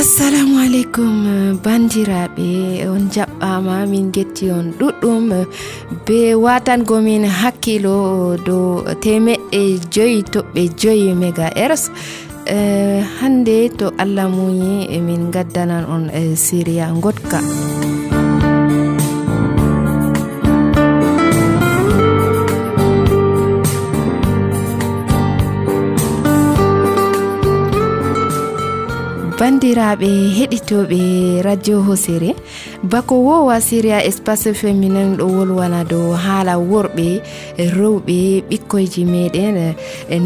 Assalamu alaikum bandiraɓe, on jaɓɓama min getti on ɗuɗɗum be watango min hakkilo do 5.5 MHz. Hande to Allah muyi min gaddanan on Syria gotka. Bandiraɓe heɗitoɓe radio Hosere, bako wowa Syria espace féminin ɗo wolwana dow haala worɓe, rewɓe, ɓikkoyji meɗen,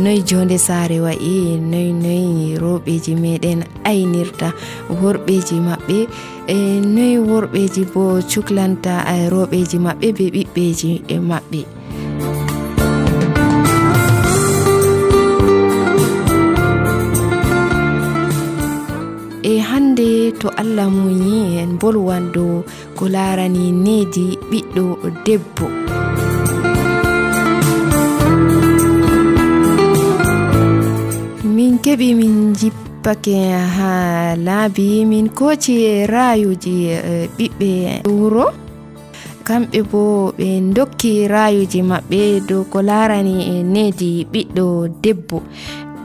noy jonde saare wa'i, noy rewɓeji meɗen aynirta worɓeji maɓɓe, noy worɓeji bo cuklanta rewɓeji maɓɓe be ɓiɓɓeji maɓɓe. Hande to Allah muyi en bolwan dow ko larani needi ɓiɗɗo debbo. Min keɓi min jippake ha laabi min koci rayuji ɓiɓɓe wuro, kamɓe bo ɓe dokki rayuji maɓɓe dow ko larani needi ɓiɗɗo debbo.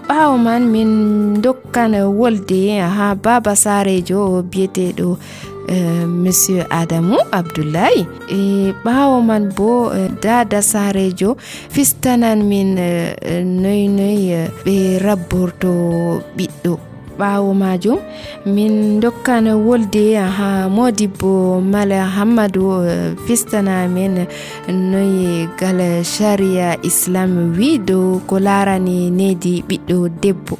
Ɓawo man min dokkan wolde ha baba sarejo biyeteɗo monsieur Adamu Abdullahi. Ɓawo man bo dada sarejo fistanan min noy ɓe rabborto ɓiɗɗo. Ɓawo majum min dokkan wolde ha Modibbo Mala Hammadou fistana men noy gal sharia islam wi dow ko larani needi ɓiɗɗo debbo.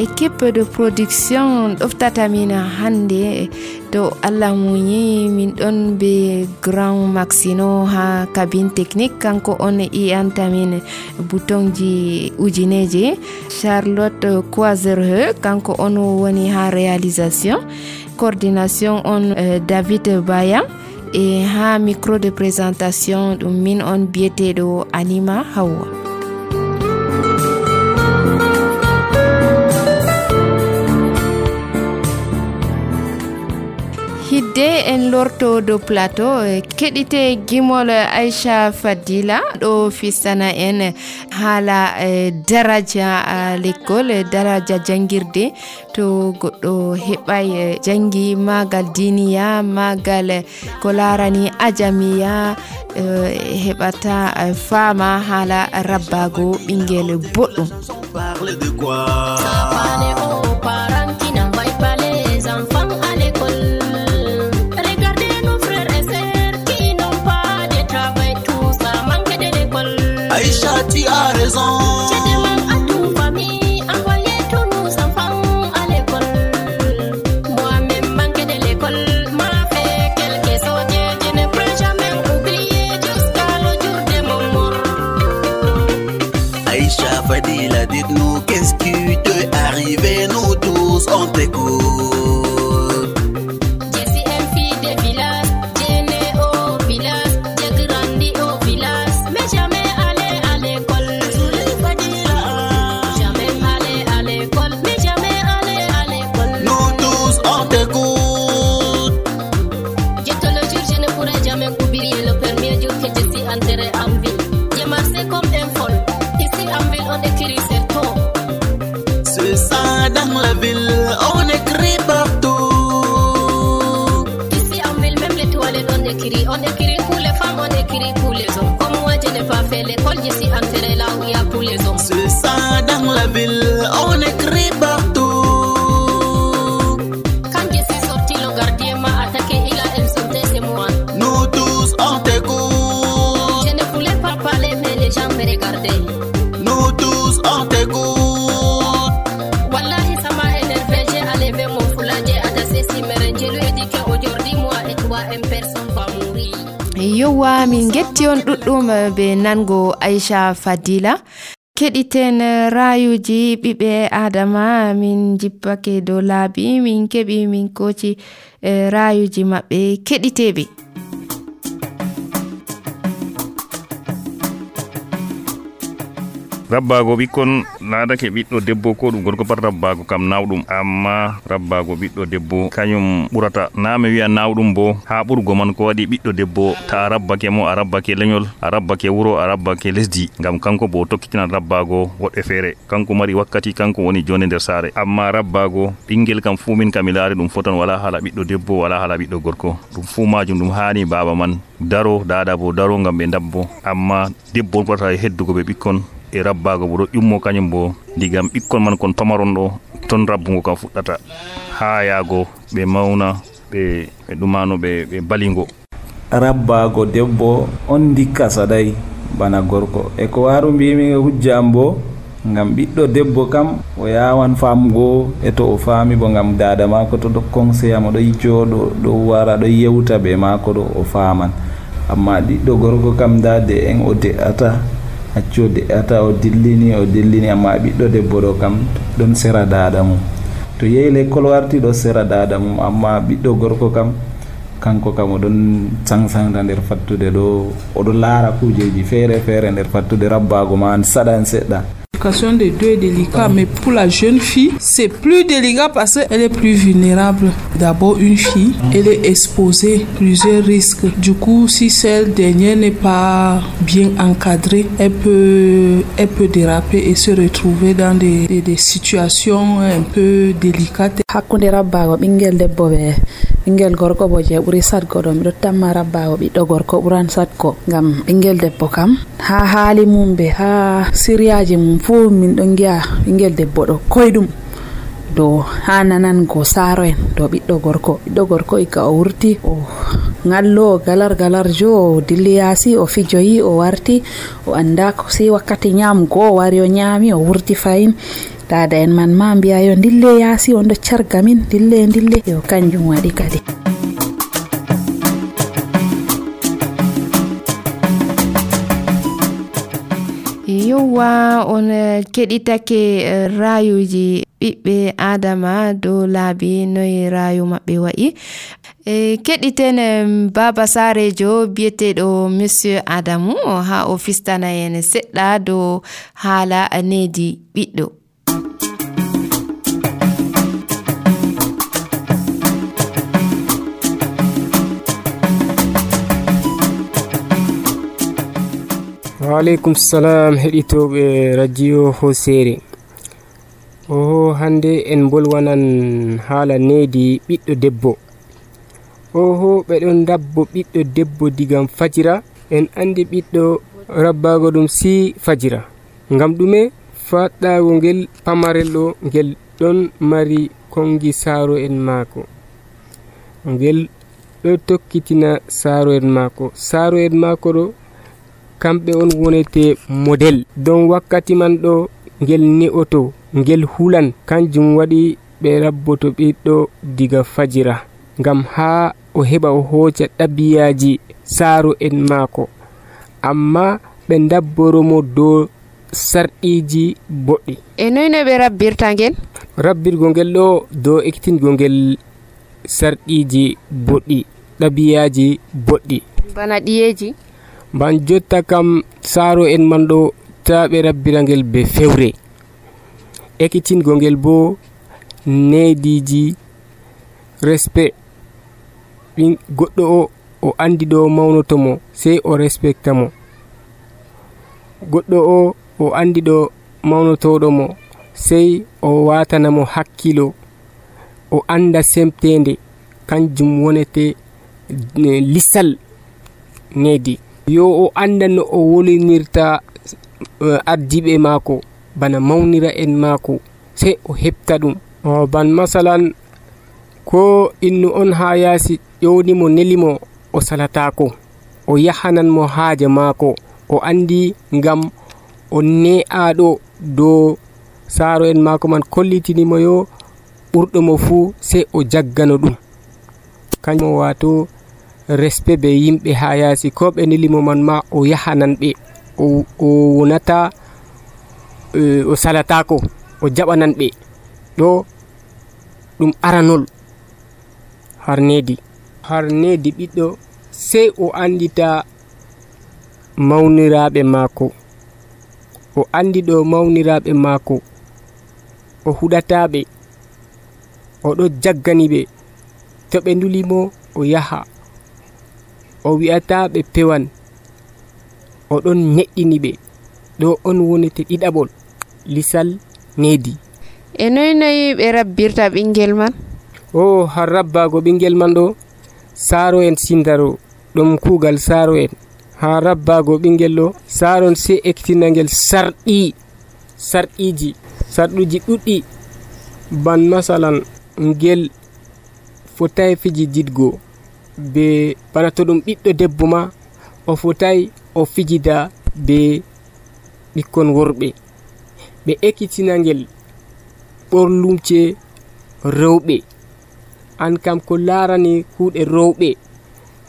Équipe de production ɗoftata min hande to Allah muyi min ɗon be Grand Maxino ha cabine technique, kanko on iyanta min boutonji ujineje. Charlotte Coisereux kanko on woni ha réalisation, coordination on David Baya, et ha micro de présentation ɗum min on biyeteɗo Anima Hawa. Hidde en lorto do plateau keɗite gimol Aisha Fadila ɗo fistana en haala daraja l'école, daraja jangirde. To goɗɗo heɓay jangi magal diniya, magal ko larani ajamiya, heɓata fama haala rabbago ɓingel boɗɗum. Aïcha, tu as raison. Je demande à toute famille, envoyez tous nos enfants à l'école. Moi-même manqué de l'école, m'a fait quelque chose. Je ne peux jamais oublier jusqu'à le jour de mon mort. Aïcha Fadila, dites-nous qu'est-ce qui t'est arrivé. Nous tous on t'écoute. Je suis une fille de village, j'ai né au village, j'ai grandi au village, mais jamais dans la ville, on écrit partout. Ici en ville, même les toilettes, on écrit pour les femmes, on écrit pour les hommes. Comme moi, je n'ai pas fait l'école, je suis enterrée là où il y a pour les hommes. C'est ça, dans la ville, on écrit partout. Quand je suis sortie, le gardien m'a attaqué, il a insulté, c'est moi. Nous tous, on t'écoute. Je ne voulais pas parler, mais les gens me regardaient. Nous tous, on t'écoute. Yowa min getti on ɗuɗɗum be nango Aisha Fadila. Keɗiten rayuji ɓiɓɓe Adama, min jippake dow laabi, min keɓi min koci rayuji maɓɓe keɗiteɓe. rabbago ɓikkon laadake ɓiɗɗo debbo ko ɗum gorko pat rabbago kam nawɗum, amma rabbago ɓiɗɗo debbo kañum ɓurata. Na mi wiya nawɗum bo ha ɓurgo man ko waɗi ɓiɗɗo debbo ta a rabbake mo, a rabbake leñol, a rabbake wuro, a rabbake lesdi, ngam kanko bo tokkitinan rabbago woɗɓe feere. Kanko mari wakkati, kanko woni jonde nder saare. Amma rabbago ɓingel kam fuu min kam mi laari ɗum fotan, wala hala ɓiɗɗo debbo, wala hala ɓiɗɗo gorko. Ɗum fuu majum ɗum hani baba man daro, dada bo daro ngam ɓe dabbo. Amma debbo ɓurata heddugo ɓe ɓikkon, e rabbago bo ɗo ƴummo kañum bo digam ɓikkon man kon pamaron ɗo, ton rabbugo kam fuɗɗata ha yaago ɓe mawna ɓe ɗumano ɓe balingo. Rabbago debbo on dikka saɗay bana gorko. E ko waru mbimi hujja am bo, ngam ɓiɗɗo debbo kam o yawan famugo e to o faami bo ngam dada mako to ɗo conseil mo ɗo jooɗo ɗo wara ɗo yewta be mako ɗo o faman. Amma ɓiɗɗo gorko kam dade en o de'ata, acco de'ata, o dillini, amma ɓiɗɗo debbo ɗo kam ɗon sera dada mum, to yehi l'école warti ɗo sera dada mum. Amma ɓiɗɗo gorko kam kanko kam oɗon sangsangta nder fattude ɗo, oɗo laara kujeji feere nder fattude. Rabbago man saɗan seɗɗa. L'éducation des deux est délicate, mais pour la jeune fille, c'est plus délicat parce qu'elle est plus vulnérable. D'abord, une fille, elle est exposée à plusieurs risques. Du coup, si celle dernière n'est pas bien encadrée, elle peut déraper et se retrouver dans des situations un peu délicates. Hakkunde rabbago ɓingel debbo be ɓingel gorko bo je ɓuri satgo ɗo, miɗo tamma rabbago ɓiɗɗo gorko ɓuran satgo, ngam ɓingel debbo kam ha haali mum be ha siryaji mum fu min ɗon gi'a ɓingel debbo ɗo koyɗum do ha nanango saaro en do ɓiɗɗo gorko ika o wurti o ngallo o galarjo o dilli yaasi o fijoyi o warti o anda si wakkati nyamgo o wari o nyami o wurti fayin. Dada en man ma mbiya yo dille yaasi on ɗo carga min dille yo kanjum waɗi kadi. Yowa on keɗitake rayuji ɓiɓɓe adama dow laabi noye rayu maɓɓe wa'i. Keɗiten baba sarejo biyeteɗo monsieur Adamu ha o fistana en seɗɗa dow haala needi ɓiɗɗo. Waaleykum salam heɗitoɓe radio Hosere. Hande en bolwanan haala needi ɓiɗɗo debbo. Ɓeɗon dabbo ɓiɗɗo debbo digam fajira. En andi ɓiɗɗo rabbago ɗum si fajira, ngam ɗume? Faɗɗago ngel pamarel ɗo ngel ɗon mari kongi saaro en maako, ngel ɗo tokkitina saaro en maako ɗo kamɓe on wonete model. Don wakkati man ɗo ngel ne'oto, ngel hulan, kanjum waɗi ɓe rabboto ɓiɗɗo diga fajira ngam ha o heɓa o hoca ɗabiyaji saaro en maako. Amma ɓe dabboromo dow sarɗiji boɗɗi. E noy no ɓe rabbirta ngel? Rabbirgo ngel ɗo dow ekkitingo ngel sarɗiji boɗɗi, ɗabiyaji boɗɗi, bana ɗiyeji. Ban jotta kam saaro en man ɗo ta ɓe rabbira ngel be fewre, ekkitingo ngel bo neediji respect. Goɗɗo o andi ɗo mawnoto mo sey o respecta mo, goɗɗo o andi ɗo mawnotoɗo mo sey o watana mo hakkilo, o anda semtende. Kanjum wonete lisal needi. Yo o anda no o wolinirta ardiɓe maako bana mawnira en maako, sey o heɓta ɗum. Ban masalan ko innu on ha yaasi ƴewnimo nelimo o salatako, o yahanan mo haaje maako, o andi ngam o ne'aɗo dow saaro en maako man kollitinimo yo ɓurɗo mo fuu, sey o jaggano ɗum. Kanjum wato respect be yimɓe ha yaasi, ko ɓe nelimo man ma o yahanan ɓe, o wonata o salatako, o jaɓanan ɓe. Ɗo ɗum aranol harnedi ɓiɗɗo sey o andita mawniraɓe maako, o andi ɗo mawniraaɓe maako o huɗataaɓe o ɗo jaggani ɓe to ɓe ndulimo o yaha o wi'ataa ɓe pewan o ɗon neɗɗini ɓe ɗo on wonete ɗiɗaɓol lisal needi. E noyi ɓe rabbirta ɓingel man? O har rabbaago ɓingel man ɗo saaro en sindaro ɗum kuugal saaro en. Ha rabbaago ɓingel ɗo saaron sey ekkitina ngel sarɗiiji ɗuɗɗi ban masalan ngel fotayi fijididgo be bana to ɗum ɓiɗɗo debbo ma o fotayi o fijida be ɓikkon worɓe ɓe ekkitina ngel ɓorlumce rewɓe. An kam ko laarani kuuɗe rewɓe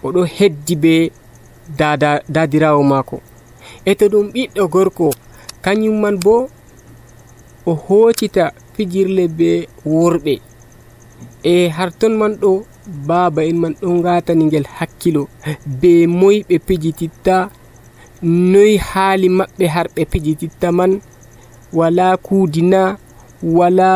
o ɗo heddi be daadirawo maako e to ɗum ɓiɗɗo gorko kañum man bo o hoccita fijirle be worɓe e har ton man ɗo baaba en man ɗon ngatani ngel hakkilo be moy ɓe pijititta noy haali maɓɓe har ɓe pijititta man wala kuudina wala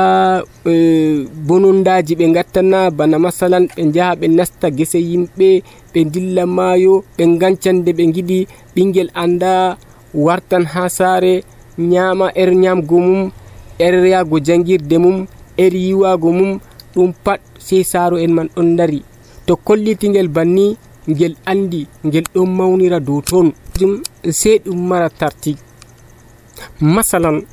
bonondaji ɓe gattana bana masalan ɓe jaha ɓe nasta gese yimɓe ɓe dilla maayo ɓe gancande ɓe giɗi ɓingel anda wartan ha saare nyama nyamgo mum yago jangirde mum yiwago mum ɗum pat sey saaro en man ɗon dari to kollitingel banni ngel andi ngel ɗon mawnira dow ton sey ɗum mara tarti. Masalan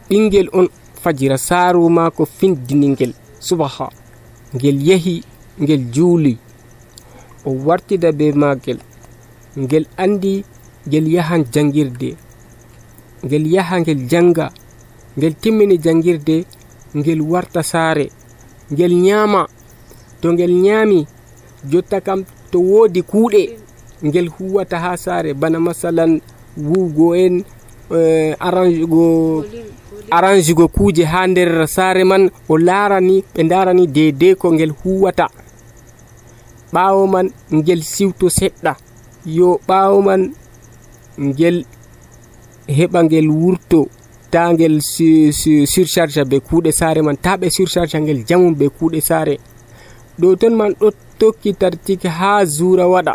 ɓingel on fajira saaro maako findini ngel subaha ngel yehi ngel juuli o wartida be maagel ngel andi ngel yahan jangirde ngel yaha ngel janga ngel timmini jangirde ngel warta saare ngel nyama to ngel nyami jotta kam to woodi kuuɗe ngel huwata ha saare bana masalan wuugo en arrange go kuje ha nder saare man o laarani ɓe darani deedee ko ngel huwata ɓaawo man ngel siwto seɗɗa yo ɓaawo man ngel heɓa ngel wurto ta ngel surcharge be kuuɗe saare man ta ɓe surcharge ngel jamum be kuuɗe saare ɗo ton man ɗo tokki tartike ha zuura waɗa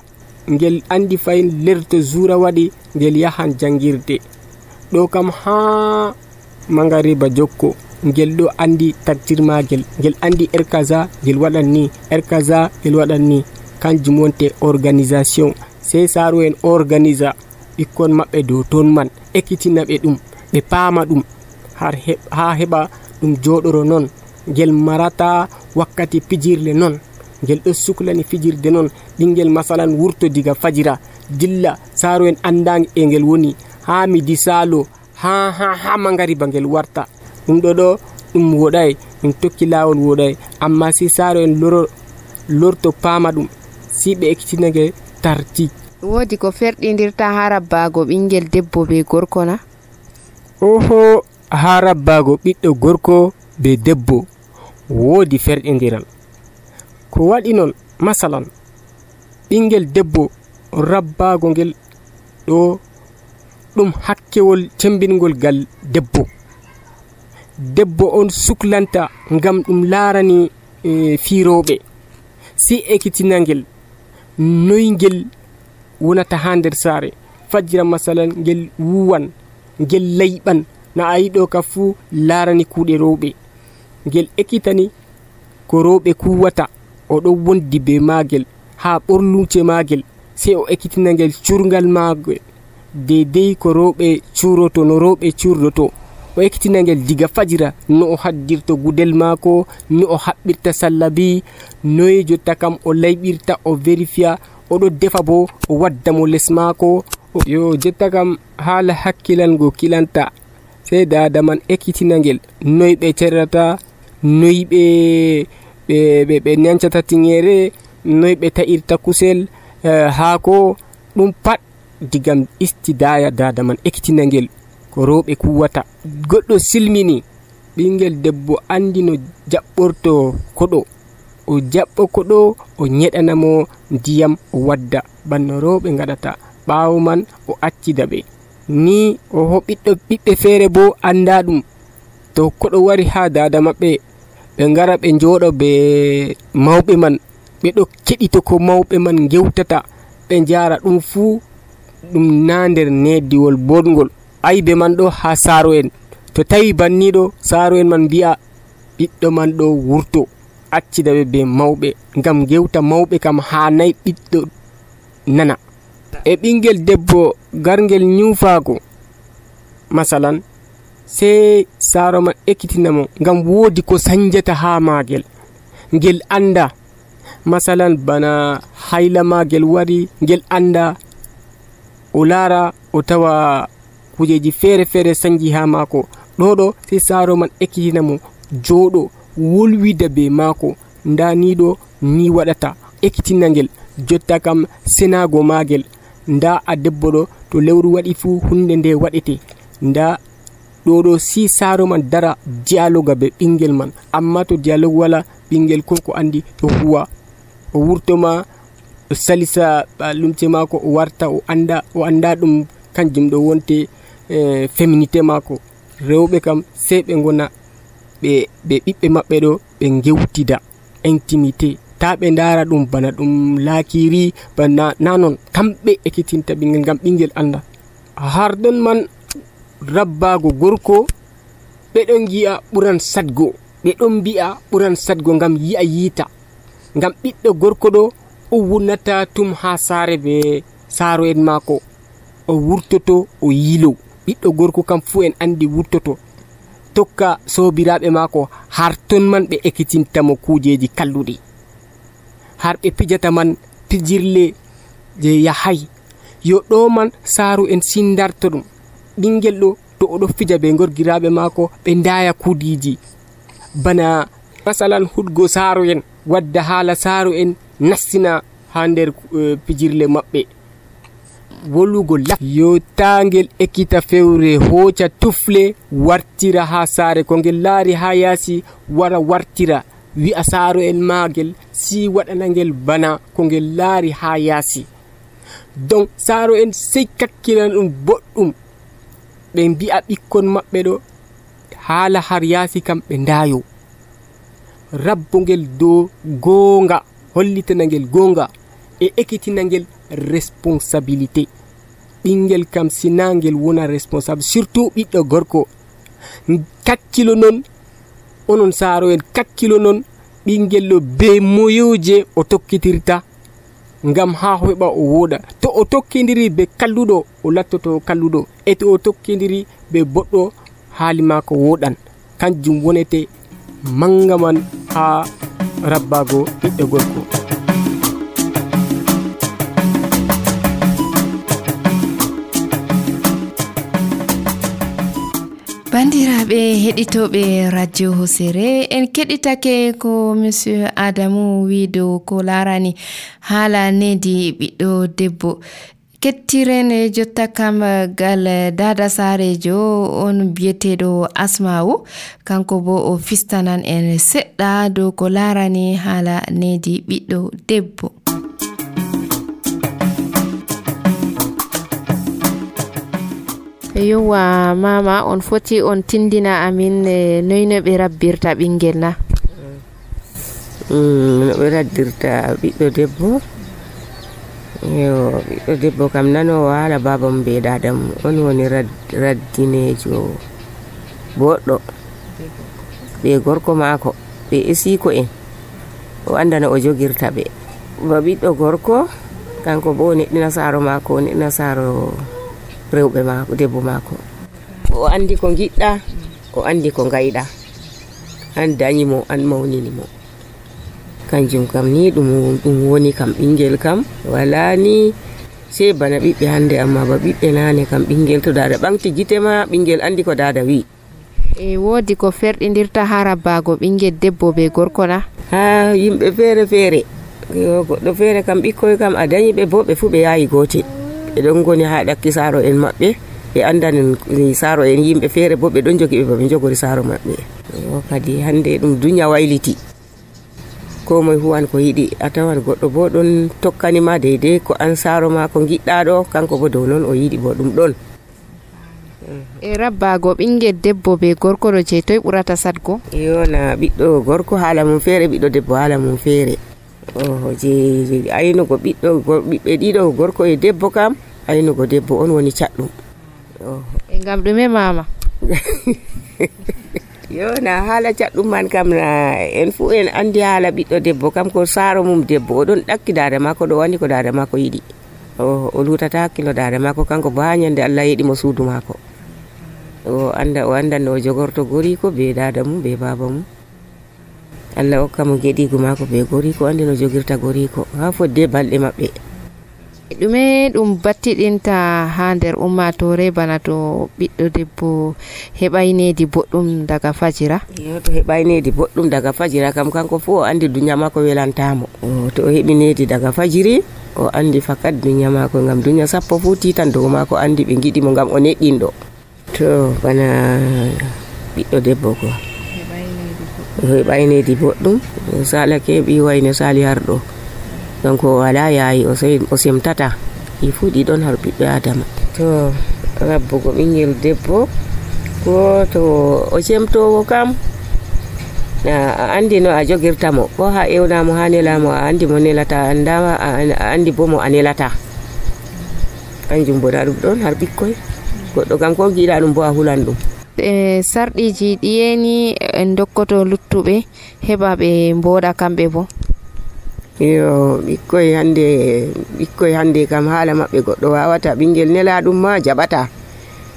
ngel andi fayin lerto zuura waɗi ngel yahan jangirde ɗo kam ha mangariba jokko ngel ɗo andi taktirmagel ngel andi kaza ngel waɗan ni kaza ngel waɗan ni kanjum wonte organisation sey saaro en organisa ɓikkon maɓɓe dow ton man ekkitina ɓe ɗum ɓe paama ɗum ha heɓa ɗum joɗoro non ngel marata wakkati pijirle non ngel ɗo suklani fijirde non ɓingel masalan wurto diga fajira dilla saaro en anda e ngel woni ha midi saalo ha mangariba ngel warta ɗum ɗo ɗum woɗay ɗum tokki laawol woɗay amma si saaro en lorto paama ɗum si ɓe ekkitina ngel tarti. Woodi ko ferɗindirta ha rabbaago ɓingel debbo be gorko na? Oho ha rabbaago ɓiɗɗo gorko be debbo woodi ferɗindiral ko waɗi non masalan ɓingel debbo rabbaago ngel ɗo ɗum hakkewol tembingol gal debbo on suklanta ngam ɗum laarani fiirooɓe si ekkitina ngel noy ngel wonata ha nder saare fajira masalan ngel wuwan ngel layɓan na a yiɗo ka fuu laarani kuuɗe rewɓe ngel ekkitani ko rewɓe kuwata o ɗon wondi be maagel ha ɓorluce maagel sey o ekkitina ngel curgal maagel deidei ko rewɓe curoto no rewɓe curdoto o ekkitina ngel diga fajira no o haddirto gudel maako no o haɓɓirta sallabi noy jotta kam o layɓirta o vérifiya oɗo defa bo o wadda mo les maako yo jotta kam haala hakkilango kilanta sey dada man ekkitina ngel noy ɓe cerrata noy ɓe nancata tingere noy ɓe ta'irta kusel haako ɗum pat digam istidaya dada man ekkitina ngel ko rewɓe kuwata goɗɗo silmini ɓingel debbo andi no jaɓɓorto koɗo o jaɓɓo koɗo o nyeɗanamo ndiyam o wadda banno rewɓe gaɗata ɓaawo man o accida ɓe ni o ɓiɓɓe feere bo anda ɗum to koɗo wari ha dada maɓɓe ɓe ngara ɓe njooɗo be mawɓe man ɓe ɗo keɗito ko mawɓe man gewtata ɓe njara ɗum fuu ɗum na nder neddiwol boɗgol aybe man ɗo ha saaro en to tawi banniɗo saaro en man mbi'a ɓiɗɗo man ɗo wurto accida be mawɓe ngam gewta mawɓe kam ha nayi ɓiɗɗo nana e ɓingel debbo gargel nyufago masalan sei saaro man ekkitinamo ngam woodi ko sanjata ha magel ngel anda masalan bana hayla magel wari ngel anda o laara o tawa kujeji feere feere sanji ha maako ɗoɗo sei saaro man ekkitinamo jooɗo wolwida be maako nda ni ɗo ni waɗata ekkitina ngel jotta kam senago magel nda a debbo ɗo to lewru waɗi fuu hunde nde waɗete nda ɗoɗo si saaro man dara dialoga be ɓingel man amma to dialogue wala ɓingel konko andi ɗo huwa o wurtoma o salisa lumce maako o warta o anda ɗum kanjum ɗo wonte féminité maako rewɓe kam sei ɓe gona ɓe ɓiɓɓe maɓɓe ɗo ɓe gewtida intimité ta ɓe ndara ɗum bana ɗum laakiri bana nanon kamɓe ekkitinta ɓingel ngam ɓingel anda har ɗon man rabbago gorko ɓe ɗon gi'a ɓuran sadgo ɓe ɗon mbi'a ɓuran sadgo ngam yi'a yiita ngam ɓiɗɗo gorko ɗo o wurnata tum ha saare be saaro en maako o wurtoto o yilo ɓiɗɗo gorko kam fu en andi wurtoto tokka sobiraɓe maako har ton man ɓe ekkitintamo kujeji kalluɗi har ɓe pijata man pijirle je yahay yo ɗo man saaro en sindarta ɗum ɓingel ɗo to oɗo fija be gorgiraɓe maako ɓe ndaya kudiji bana masalan hudgo saaro en wadda haala saaro en nastina ha nder pijirle maɓɓe wolugo yo tangel ekkita fewre hoca tufle wartira ha saare ko ngel laari ha yaasi wara wartira wi'a saaro en magel si waɗana ngel bana ko ngel laari ha yaasi donc saaro en sey kakkilan ɗum boɗɗum ɓe mbi'a ɓikkon maɓɓe ɗo haala har yaasi kam ɓe ndayo rabbo ngel dow goonga hollitana ngel goonga e ekkitina ngel responsabilité ɓingel kam sina ngel wona responsable surtout ɓiɗɗo gorko kakkilo non onon saaro en kakkilo non ɓingel ɗo be moyoje o tokkitirta ngam ha heɓa o woɗa to o tokkidiri be kalluɗo o lattoto kalluɗo e to o tokkidiri be boɗɗo haali maako woɗan kanjum wonete manga man ha rabbago ɓiɗɗo gorko bandiraɓe heɗitoɓe radio hosere en keɗitake ko monsieur Adamou wido ko larani haala nedi ɓiɗɗo debbo kettiren jotta kam gal dada sarejo on biyeteɗo Asma'u kanko bo o fistanan en seɗɗa dow ko larani haala nedi ɓiɗɗo debbo. Yowa mama on foti on tindina amin noyno ɓe rabbirta ɓingel na no ɓe raddirta ɓiɗɗo debbo yo ɓiɗɗo debbo kam nanowo haala babam be dadam on woni raddinejo boɗɗo ɓe gorko maako ɓe esiko en o anda no o jogirta ɓe ba ɓiɗɗo gorko kanko bo neɗɗina saaro maako neɗɗina saaro rewɓe maako debbo maako o andi ko giɗɗa o andi ko gayɗa an dañimo an mawninimo kanjum kam ni ɗum woni kam ɓingel kam wala ni sei bana ɓiɓɓe hande amma ba ɓiɓɓe nane kam ɓingel to dada ɓamti gite ma ɓingel andi ko dada wi e wodi ko ferɗidirta ha rabbago ɓingel debbo be gorko na ha yimɓe feere feere goɗɗo feere kam ɓikkoy kam a dañi ɓe bo ɓe fu ɓe yayi gote ɓe ɗon goni ha ɗakki saaro en maɓɓe ɓe andanin saaro en yimɓe feere bo ɓe ɗon jogi ɓe baɓe jogori saaro maɓɓe o kadi hande ɗum dunya wayliti ko moye huwan ko yiɗi a tawan goɗɗo bo ɗon tokkanima deydey ko an saaro ma ko giɗɗa ɗo kanko bo dow noon o yiɗi bo ɗum ɗon e rabbago ɓingel debbo be gorko ɗo je toy ɓurata sadgo? yona ɓiɗɗo gorko haala mum feere ɓiɗɗo debbo haala mum feere. je aynugo ɓiɓɓe ɗiɗo gorko e debbo kam aynugo debbo on woni caɗɗum. E ngam ɗume mama? yona haala caɗɗum man kam en fu en andi haala ɓiɗɗo debbo kam ko saaro mum debbo oɗon ɗakki dade mako ɗo wani ko dade mako yiɗi o lutata hakkilo dade mako kanko bo ha nyande Allah yiɗi mo suudu mako o anda no jogorto goriko be dada mum be baba mum. Allah hokka mo geɗigu mako be goriko andi no jogirta goriko ha fodde balɗe maɓɓe. ɗume ɗum battiɗinta ha nder ummatore bana to ɓiɗɗo debbo heɓaynedi boɗɗum daga fajira? yo to heɓaynedi boɗɗum daga fajira kam kanko fu o andi dunya mako welantamo. To o heɓi nedi daga fajiri o andi fakat dunya mako ngam dunya sappo fu titan dow mako andi ɓe giɗimo ngam o neɗɗinɗo. To bana ɓiɗɗo debbo ko heɓaynedi boɗɗum salake ɓi wayne sali harɗo kanko wala yayi o semtata i fu ɗiɗon har ɓiɓɓe adama. To rabbugo ɓingel debbo ko to o semtowo kam a andi no a jogirta mo ko ha ewnamo ha nelamo a andi mo nelata andama a andi bo mo a nelata kanjum bo ɗum ɗon har ɓikkoy goɗɗo kam ko giɗa ɗum bo a hulan ɗum. Sarɗiji ɗiyeni en dokkoto luttuɓe heɓa ɓe mboɗa kamɓe bo? yo ɓikkoy hande kam haala maɓɓe goɗɗo wawata ɓingel nela ɗum ma jaɓata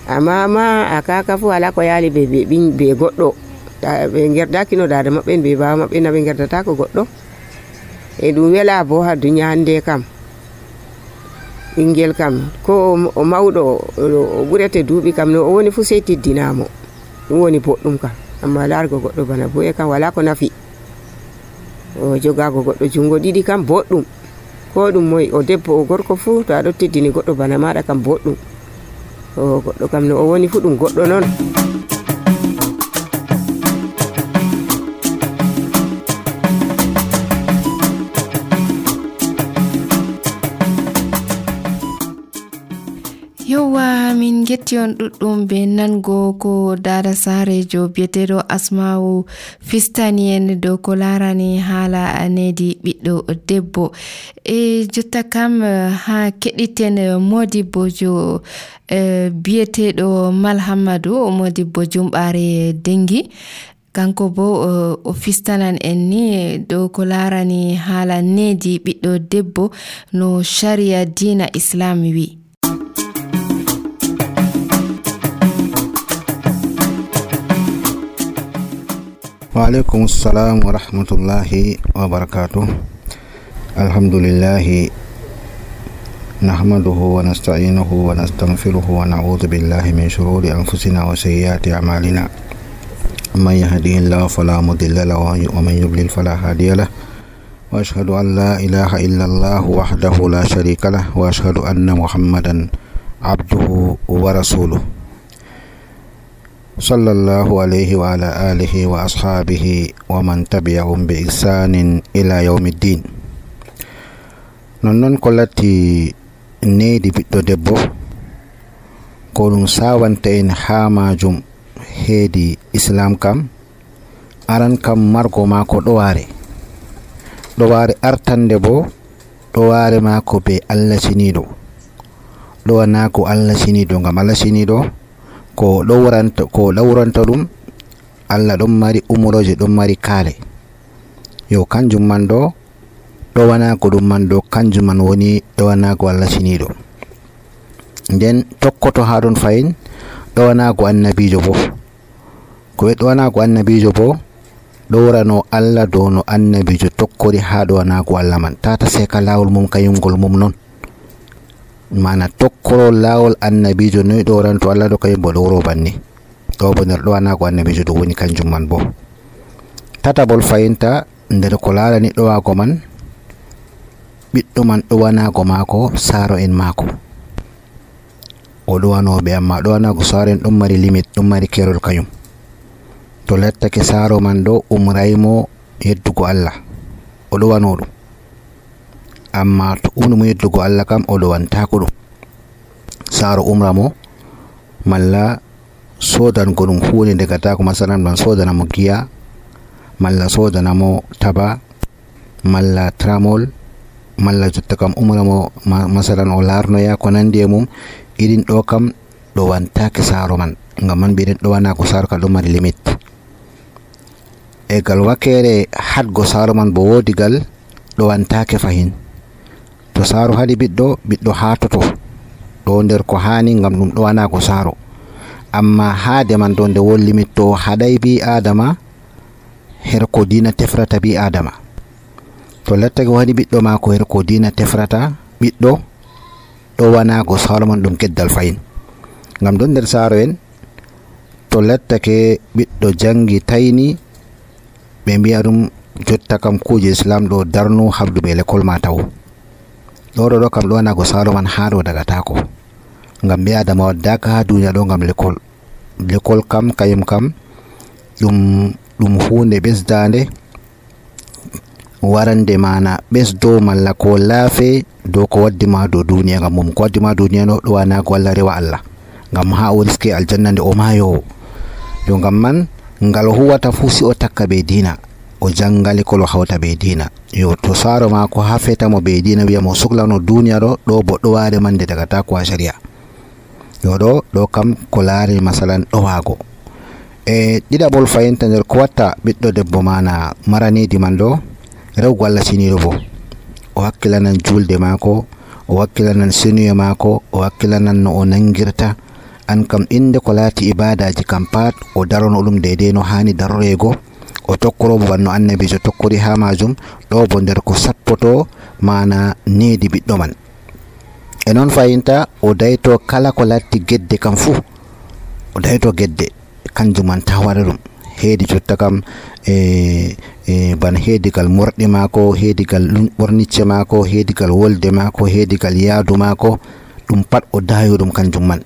amma ma a kaka fu ala ko yaali be goɗɗo ɓe gerdaki no dada maɓɓe be baba maɓɓe na ɓe gerdata ko goɗɗo e ɗum wela bo ha dunya hande kam ɓingel kam ko o mawɗo o ɓurete duuɓi kam no o woni fu sey tiddinamo ɗum woni boɗɗum kam amma largo goɗɗo bana boye kam wala ko nafi o jogago goɗɗo jungo ɗiɗi kam boɗɗum ko ɗum moy o debbo o gorko fu to aɗo teddini goɗɗo bana maɗa kam boɗɗum o goɗɗo kam no o woni fu ɗum goɗɗo non. yowa min getti on ɗuɗɗum be nango ko dada sarejo biyeteɗo Asma'u fistani en dow ko larani haala nedi ɓiɗɗo debbo e jotta kam ha keɗiten modibbojo biyeteɗo Malhamadou modibbo Jumɓare Dengi kanko bo o fistanan en ni dow ko larani haala nedi ɓiɗɗo debbo no sharia dina Islam wi. وعليكم السلام ورحمة الله وبركاته. الحمد لله نحمده ونستعينه ونستغفره ونعوذ بالله من شرور أنفسنا وسيئات أعمالنا من يهده الله فلا مضل له ومن يضلل فلا هادي له وأشهد أن لا إله إلا الله وحده لا شريك له وأشهد أن محمدا عبده ورسوله صلى الله عليه وعلى آله وأصحابه ومن تبعهم بإحسان إلى يوم الدين. نون كلاتي نيدي بيتو دبو كولون ساوانتين حاماجم هيدي إسلام كام أران كام ماركو ماكو دواري أرتان دبو دواري ماكو بي الله سينيدو دواناكو الله سينيدو غام الله سينيدو ko lawranta ɗum Allah ɗon mari umroje ɗon mari kaale yo kanjum man ɗo ɗowanako ɗum man ɗo kanjum man woni ɗowanako Allah siniɗo nden tokkoto ha ɗon fayin ɗowanako annabijo bo ko ɓe ɗowanako annabijo bo ɗowrano Allah dow no annabijo tokkori ha ɗowanako Allah man tata seka lawol mum kayumgol mum non mana tokkoro lawol annabijo noy ɗoranto Allah ɗo kayum bo ɗowro banni ɗo bo nder ɗowanako annabijo ɗo woni kanjum man bo tatabol fayinta nder ko larani ɗowago man ɓiɗɗo man ɗowanago mako saaro en mako o ɗowanoɓe amma ɗowanago saaro en ɗon mari limite ɗon mari kerol kayum to lattake saaro man ɗo umraymo yeddugo Allah o ɗowano ɗum amma to umnumo yeddugo Allah kam o ɗowantako ɗum saaro umra mo malla sodango ɗum hunde degatako, masalan ɗon sodanamo giya malla sodanamo taba malla tramol malla jotta kam umramo masalan o larnoya ko nandi e mum. irin ɗo kam ɗo wantake saaro man, ngam man mbiɗen ɗo wana ko saaro ka ɗo mari limit. E gal wakere hadgo saaro man bo wodi gal ɗo wantake fahin. To saaro haɗi ɓiɗɗo hatoto ɗo nder ko hani, ngam ɗum ɗo wana ko saaro. Amma haade man ɗo nde won limit, to haɗay bi adama her ko dina tefrata bi adama. To lattake waɗi ɓiɗɗo mako her ko dina tefrata ɓiɗɗo, ɗo wana ko saaro man ɗum geddal fayin. Ngam ɗon nder saaro en to lattake ɓiɗɗo jangi tayni, ɓe mbiya ɗum jotta kam kuje islam ɗo darnu habdu be lekol ma taw. ɗo kam ɗo wana ko saaro man ha ɗo dagatako, ngam ɓi adama waddaka ha duniya ɗo ngam lekol kam kayum kam ɗum hunde ɓesdande warande mana ɓesdo malla ko laafe dow ko waddima dow duniya. Ngam mum ko waddima duniya no ɗo wana ko Allah rewa Allah, ngam ha o riske aljanna nde o mayowo. yo ngam man ngal huwata fu si o takka be dina, o jangali kolo hawta be dina. Yo to saaro mako ha fetamo be dina wiya mo sohlano duniya ɗo bo ɗo ware mande dagata ko a sharia. Yo ɗo kam ko laari masalan ɗo wago. E ɗiɗaɓol fayinta nder ko watta ɓiɗɗo debbo mana maranidi man ɗo, rewgo Allah siniɗo bo o hakkilanan julde mako, o hakkilanan senuye mako, o hakkilanan no o nangirta. An kam inde ko laati ibadaji kam pat o darono ɗum deidei no hani darorego, o tokkorobo banno annabijo tokkori ha majum. ɗo bo nder ko sappoto mana needi ɓiɗɗo man. E non fayinta o dayto kala ko latti gedde kam fu, o dayto gedde kanjum man ta waɗa ɗum. Heedi jotta kam bana heedigal morɗi mako, heedigal ɓornicce mako, heedigal wolde mako, heedigal yaadu mako, ɗum pat o dayo ɗum kanjum man.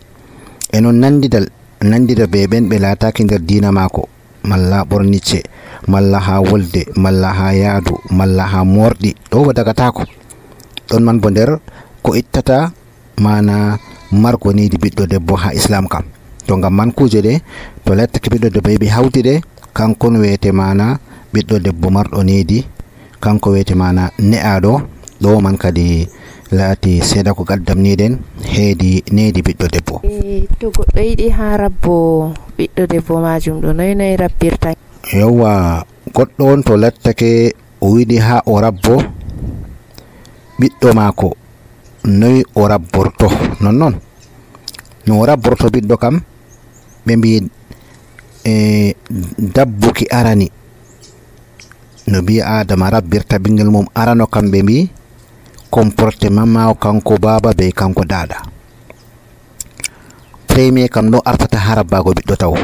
E non nandida be ɓen ɓe laataki nder dina mako, malla ɓornicce, malla ha wolde, malla ha yaadu, malla ha morɗi, ɗo bo dagatako. ɗon man bo nder ko ittata mana margo niidi ɓiɗɗo debbo ha islam kam. To ngam man kuje ɗe to lattake ɓiɗɗo debbo heɓi hawti ɗe, kankon wiyete mana ɓiɗɗo debbo marɗo needi, kanko wiyete mana ne'aɗo. ɗo man kadi laati seeɗa ko gaddamniɗen heedi needi ɓiɗɗo debbo. To goɗɗo yiɗi ha rabbo ɓiɗɗo debbo majum ɗo noy rabbirta? Yowwa, goɗɗo on to lattake o yiɗi ha o rabbo ɓiɗɗo mako, noy o rabborto nonnon no o rabborto ɓiɗɗo kam. ɓe mbi dabbuki arani no bi adama rabbirta ɓingel mum arano kam, ɓe mbi comportement mako kanko baba be kanko dada. premier kam ɗo artata ha rabbago ɓiɗɗo taw.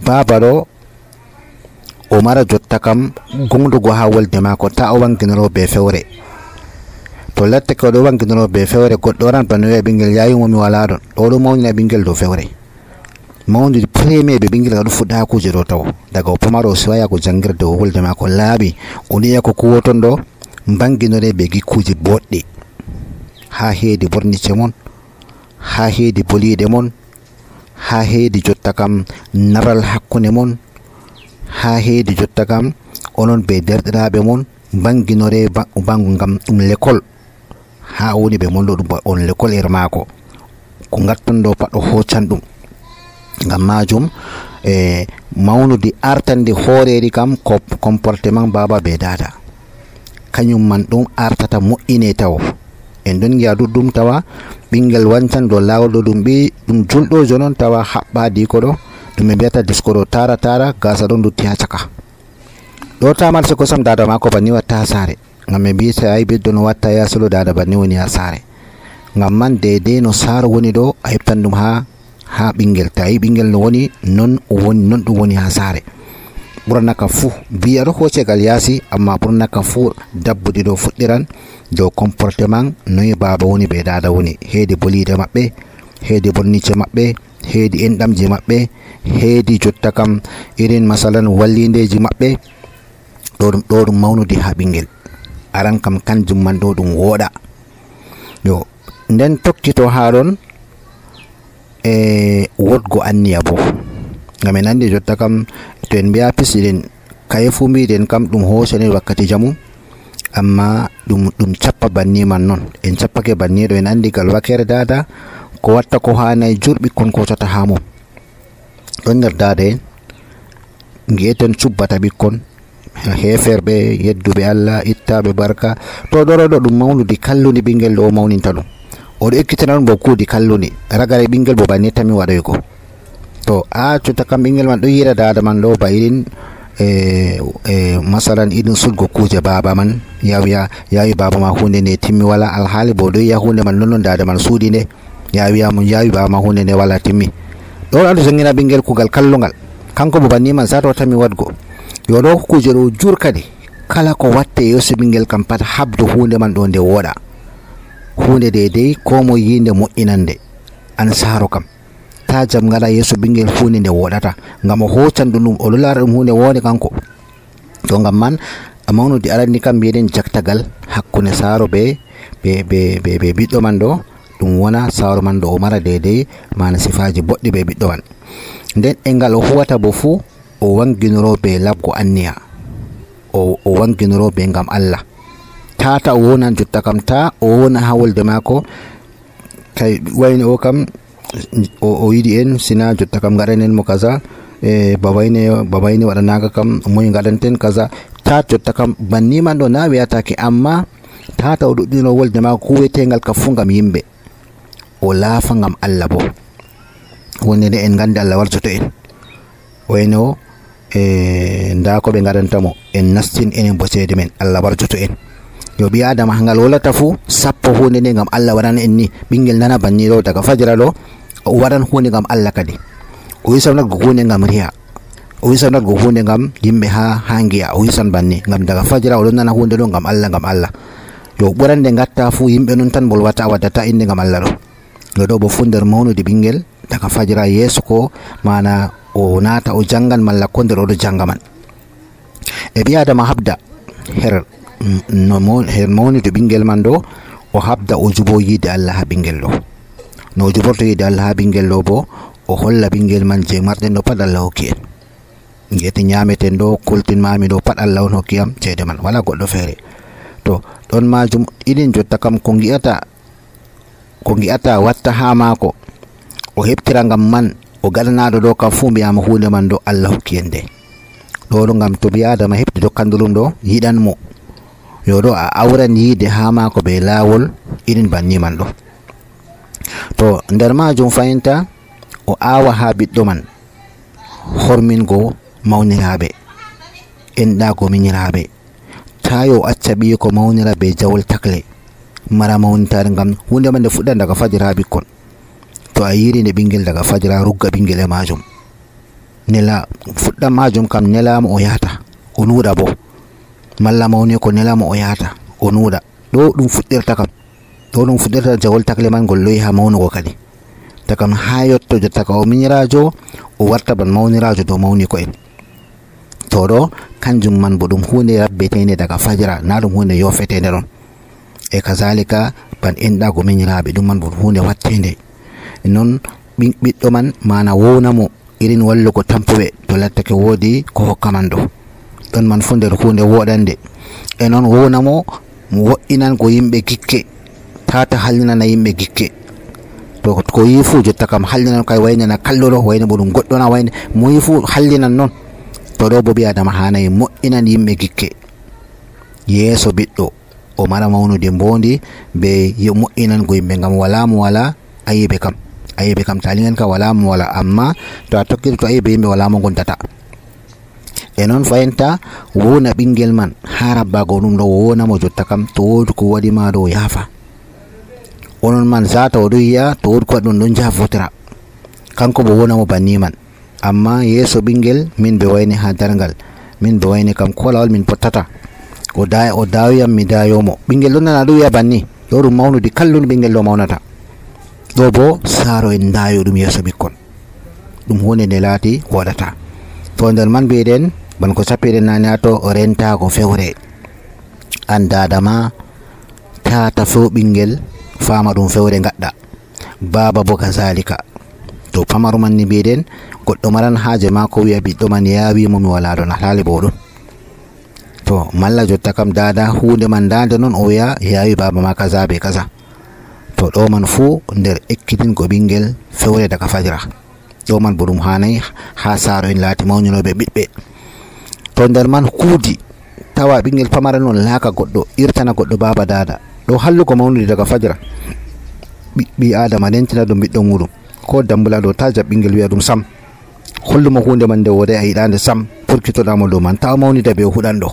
baba ɗo o mara jotta kam gonɗugo ha wolde mako, ta o wanginoro be fewre. to lattake oɗo wanginoro be fewre, goɗɗo waran bano wiya ɓingel yayumomi wala ɗon, ɗo ɗo mawnina ɓingel dow fewre. mawnude premier ɓe ɓingel ka ɗo fuɗɗa ha kuje ɗo taw, daga o pamaro o siwaya ko jangirde o wolde mako laaɓi, o niya ko kuwoton ɗo banginore be gikkuje boɗɗe ha heedi bornice mon, ha heedi boliɗe mon, ha heedi jotta kam naral hakkunde mon, ha heedi jotta kam onon be derɗiraɓe mon banginore bangu, ngam ɗum l'école ha woni ɓe mon ɗo ɗum on l'école er mako, ko gatton ɗo pat o hoccan ɗum. Ngam majum mawnude artande hooreri kam ko comportement baba be dada, kañum man ɗum artata moƴƴine taw. en ɗon giya ɗuɗɗum tawa ɓingel wancan dow lawol ɗo ɗum ɓi ɗum julɗojo noon tawa haɓɓadi ko ɗo ɗum ɓe mbiyata disko ɗo tara gasa ɗon dutti ha caka ɗo tamarse kosam dada mako banni watta ha saare, ngam ɓe mbi sa ayi ɓiɗɗo no watta yasolo dada banni woni ha saare. Ngam man deidei no saaro woni ɗo a heɓtan ɗum ha ɓingel, ta yi ɓingel no woni non ɗum woni ha saare. ɓurna kam fuu biya ɗo hocegal yaasi, amma ɓurna kam fuu dabbuɗi ɗo fuɗɗiran dow comportement noyi baba woni be dada woni, heedi bolide maɓɓe, heedi bornice maɓɓe, heedi enɗamji maɓɓe, heedi jotta kam irin masalan wallindeji maɓɓe. ɗo ɗum mawnude ha ɓingel aran kam kanjum man ɗo ɗum wooɗa. yo nden tokkito ha ɗon wodgo anniya bo ngam en andi jotta kam to en mbiya pisiɗen kaye fu mbiɗen kam ɗum hosenen wakkati jamu amma ɗum cappa banni man non en cappake banni ɗo en andi gal wakere dada ko watta ko hanayi jur ɓikkon kosata ha mum ɗon nder dada en gi'eten cubbata ɓikkon heferɓe yedduɓe Allah ittaɓe barka to ɗoroɗo ɗum mawnudi kalludi ɓingel ɗo o mawninta ɗum oɗo ekkitana ɗum bo kuudi kalludi ragare ɓingel bo banni tami waɗoygo to a cuta kam ɓingel man ɗo yira dada man ɗo ba irin masalan irin sudgo kuje baba man yawi baba ma hunde nde timmi wala alhaali bo ɗo yiya hunde man nonnon dada man suudi nde yawiyamo yawi baba ma hunde nde wala timmi ɗo aɗo jangina ɓingel kugal kallugal kanko bo banni man sato tami wadgo yo ɗo kuje ɗo jur kadi kala ko watte yeso ɓingel kam pat habdu hunde man ɗo nde woɗa hunde dedei ko mo yinde moƴƴinande an saro kam ta jam ngala yeso ɓingel hunde nde woɗata ngam o hocan ɗum oɗo lara ɗum hunde wonde kanko to ngam man a mawnudi arandi kam mbiyeɗen jaktagal hakkunde saro be ɓiɗɗo man ɗo ɗum wona saro man ɗo o mara dedei mana sifaji boɗɗi be ɓiɗɗo man nden e ngal o huwata bo fuu o wanginoro be labgo anniya o wanginoro be ngam Allah tata o wonan jotta kam ta o wona ha wolde mako kay wayne o kam o yiɗi en sina jotta kam gaɗanen mo kaza babayne waɗanaga kam moy gaɗanten kaza ta jotta kam banni man ɗo na wiyatake amma tata o ɗuɗɗino wolde mako kuwetegal ka fu ngam yimɓe o laafa ngam Allah bo wonde nde en gandi Allah warjoto en wayne o nda ko ɓe gadantamo en nastin enen bo ceede men Allah warjoto en yo ɓi adama ngal wolata fu sappo hunde nde ngam Allah waɗana en ni ɓingel nana banni ɗo daga fajira ɗo o waɗan hunde ngam Allah kadi o wisan natgo hunde ngam riya o wisan natgo hunde ngam yimɓe ha giya o wisan banni ngam daga fajira oɗon nana hunde ɗo ngam Allah yo ɓurande gatta fu yimɓe non tan bolwata waddata inde ngam Allah ɗo yo ɗo bo fu nder mawnude ɓingel daga fajira yeeso ko mana o naata o jangan malla ko nder oɗo janga man e ɓi adama habda her mawnude ɓingel man ɗo o habda o jubo yiide Allah ha ɓingel ɗo no o juborto yiide Allah ha ɓingel ɗo bo o holla ɓingel man je marɗen ɗo pat Allah hokki en guete ñameten ɗo kultin mami ɗo pat Allah on hokki am ceede man wala goɗɗo feere to ɗon majum iɗin jotta kam ko gi'ata watta ha maako o heɓtira ngam man o gaɗanaɗo ɗo kam fu mbiyama hunde man ɗo Allah hokki en nde ɗo ɗo ngam to ɓi adama heɓti dokkandulum ɗo yiɗan mo yo ɗo a awran yiide ha maako be laawol irin banni man ɗo to nder majum fayinta o awa ha ɓiɗɗo man hormingo mawniraɓe enɗago miñiraɓe ta yo acca ɓiye ko mawnira be jawol takle mara mawnitare ngam hunde man nde fuɗɗa daga fajira ɓikkon to a yiri nde ɓingel daga fajira rugga ɓingel e majum nela fuɗɗa majum kam nelama o yahata o nuuɗa bo malla mawni ko nelama o yahata o nuuɗa ɗo ɗum fuɗɗirta kam ɗo ɗum fuɗɗirta jawol takle man ngol loyi ha mawnugo kadi takam ha yotto jotta ka o miñirajo o warta ban mawnirajo dow mawni ko en to ɗo kanjum man bo ɗum hunde rabbetende daga fajira na ɗum hunde yofetende ɗon e kazalika ban enɗago miñiraɓe ɗum man bo hunde wattende non ɓiɗɗo man mana wownamo irin wallugo tampuɓe to lattake woodi ko hokkaman ɗo ɗon man fu nder hunde woɗande e noon wownamo wo'inango yimɓe gikke tata hallinana yimɓe gikke to ko yi fu jotta kam hallinan kay waynana kalluɗo wayne bo ɗum goɗɗona wayne mo yi fu hallinan noon to ɗo bo ɓi adama hanayi moƴƴinan yimɓe gikke yeeso ɓiɗɗo o mara mawnude mbondi be moƴƴinango yimɓe ngam wala mo wala ayiɓe kam talingan ka wala mo wala amma to a tokkiri to ayiɓe yimɓe wala mo gondata e noon fayinta wona ɓingel man ha rabbago ɗum ɗo wonamo jotta kam to wodi ko waɗima ɗo yaafa onon man zata o ɗo yiya to wodi ko waɗi ɗum ɗon jafotira kanko bo wonamo banni man amma yeeso ɓingel min ɓe wayne ha dargal min ɓe wayne kam ko lawol min pottata o dawiyam mi dayomo ɓingel ɗon nana ɗo wiya banni ɗo ɗum mawnude kallun ɓingel ɗo mawnata ɗo bo saaro en dayo ɗum yeeso ɓikkon ɗum hunde nde laati waɗata to nder man mbiɗen ban ko sappiɗen nane ato rentago fewre an dadama tata few ɓingel fama ɗum fewre gaɗɗa baba bo kazalika to pamaru man ni mbiɗen goɗɗo maran haaje maako wi'a ɓiɗɗo man yawimo mi wala ɗon alhaali bo ɗon to malla jotta kam dada hunde man dande noon o wi'a yawi baba ma kaza be kaza to ɗo man fuu nder ekkitingo ɓingel fewre daga fajira ɗo man bo ɗum hanayi ha saaro en laati mawñinoɓe ɓiɓɓe to nder man kuudi tawa ɓingel pamara noon laaka goɗɗo irtana goɗɗo baba dada ɗo hallugo mawnude daga fajira ɓi adama lentina ɗum ɓiɗɗo muɗum ko dambula ɗo ta jab ɓingel wi'a ɗum sam hollumo hunde man nde wodai a yiɗande sam purkitoɗamo dow man tawa mawnida be huɗanɗo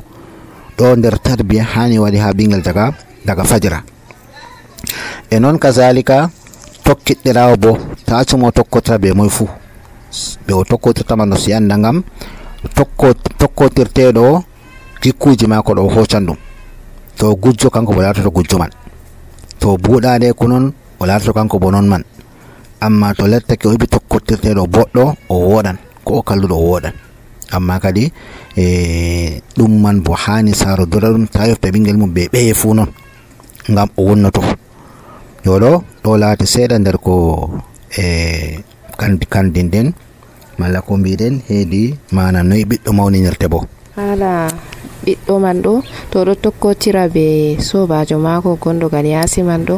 ɗo nder tarbiya hani waɗi ha ɓingel daga fajira e noon kazalika tokkiɗɗirawo bo ta cumo tokkotira be moye fuu ɓe o tokkotirtama no si anda ngam tokkotirteɗo jikkuji mako ɗo hocan ɗum to gujjo kanko bo latoto gujjo man to buuɗade ko noon o latoto kanko bo noon man amma to lettake o heɓi tokkotirteɗo boɗɗo o woɗan ko o kalluɗo o woɗan amma kadi ɗum man bo hani saaro dora ɗum ta yofta ɓingel mum ɓe ɓeye fuu noon ngam o wonnoto yoɗo ɗo laati seeɗa nder ko kandin den malla ko mbiɗen heedi mana noyi ɓiɗɗo mawninirte bo hala ɓiɗɗo man ɗo to ɗo tokkotira be sobajo mako gonɗogal yaasi man ɗo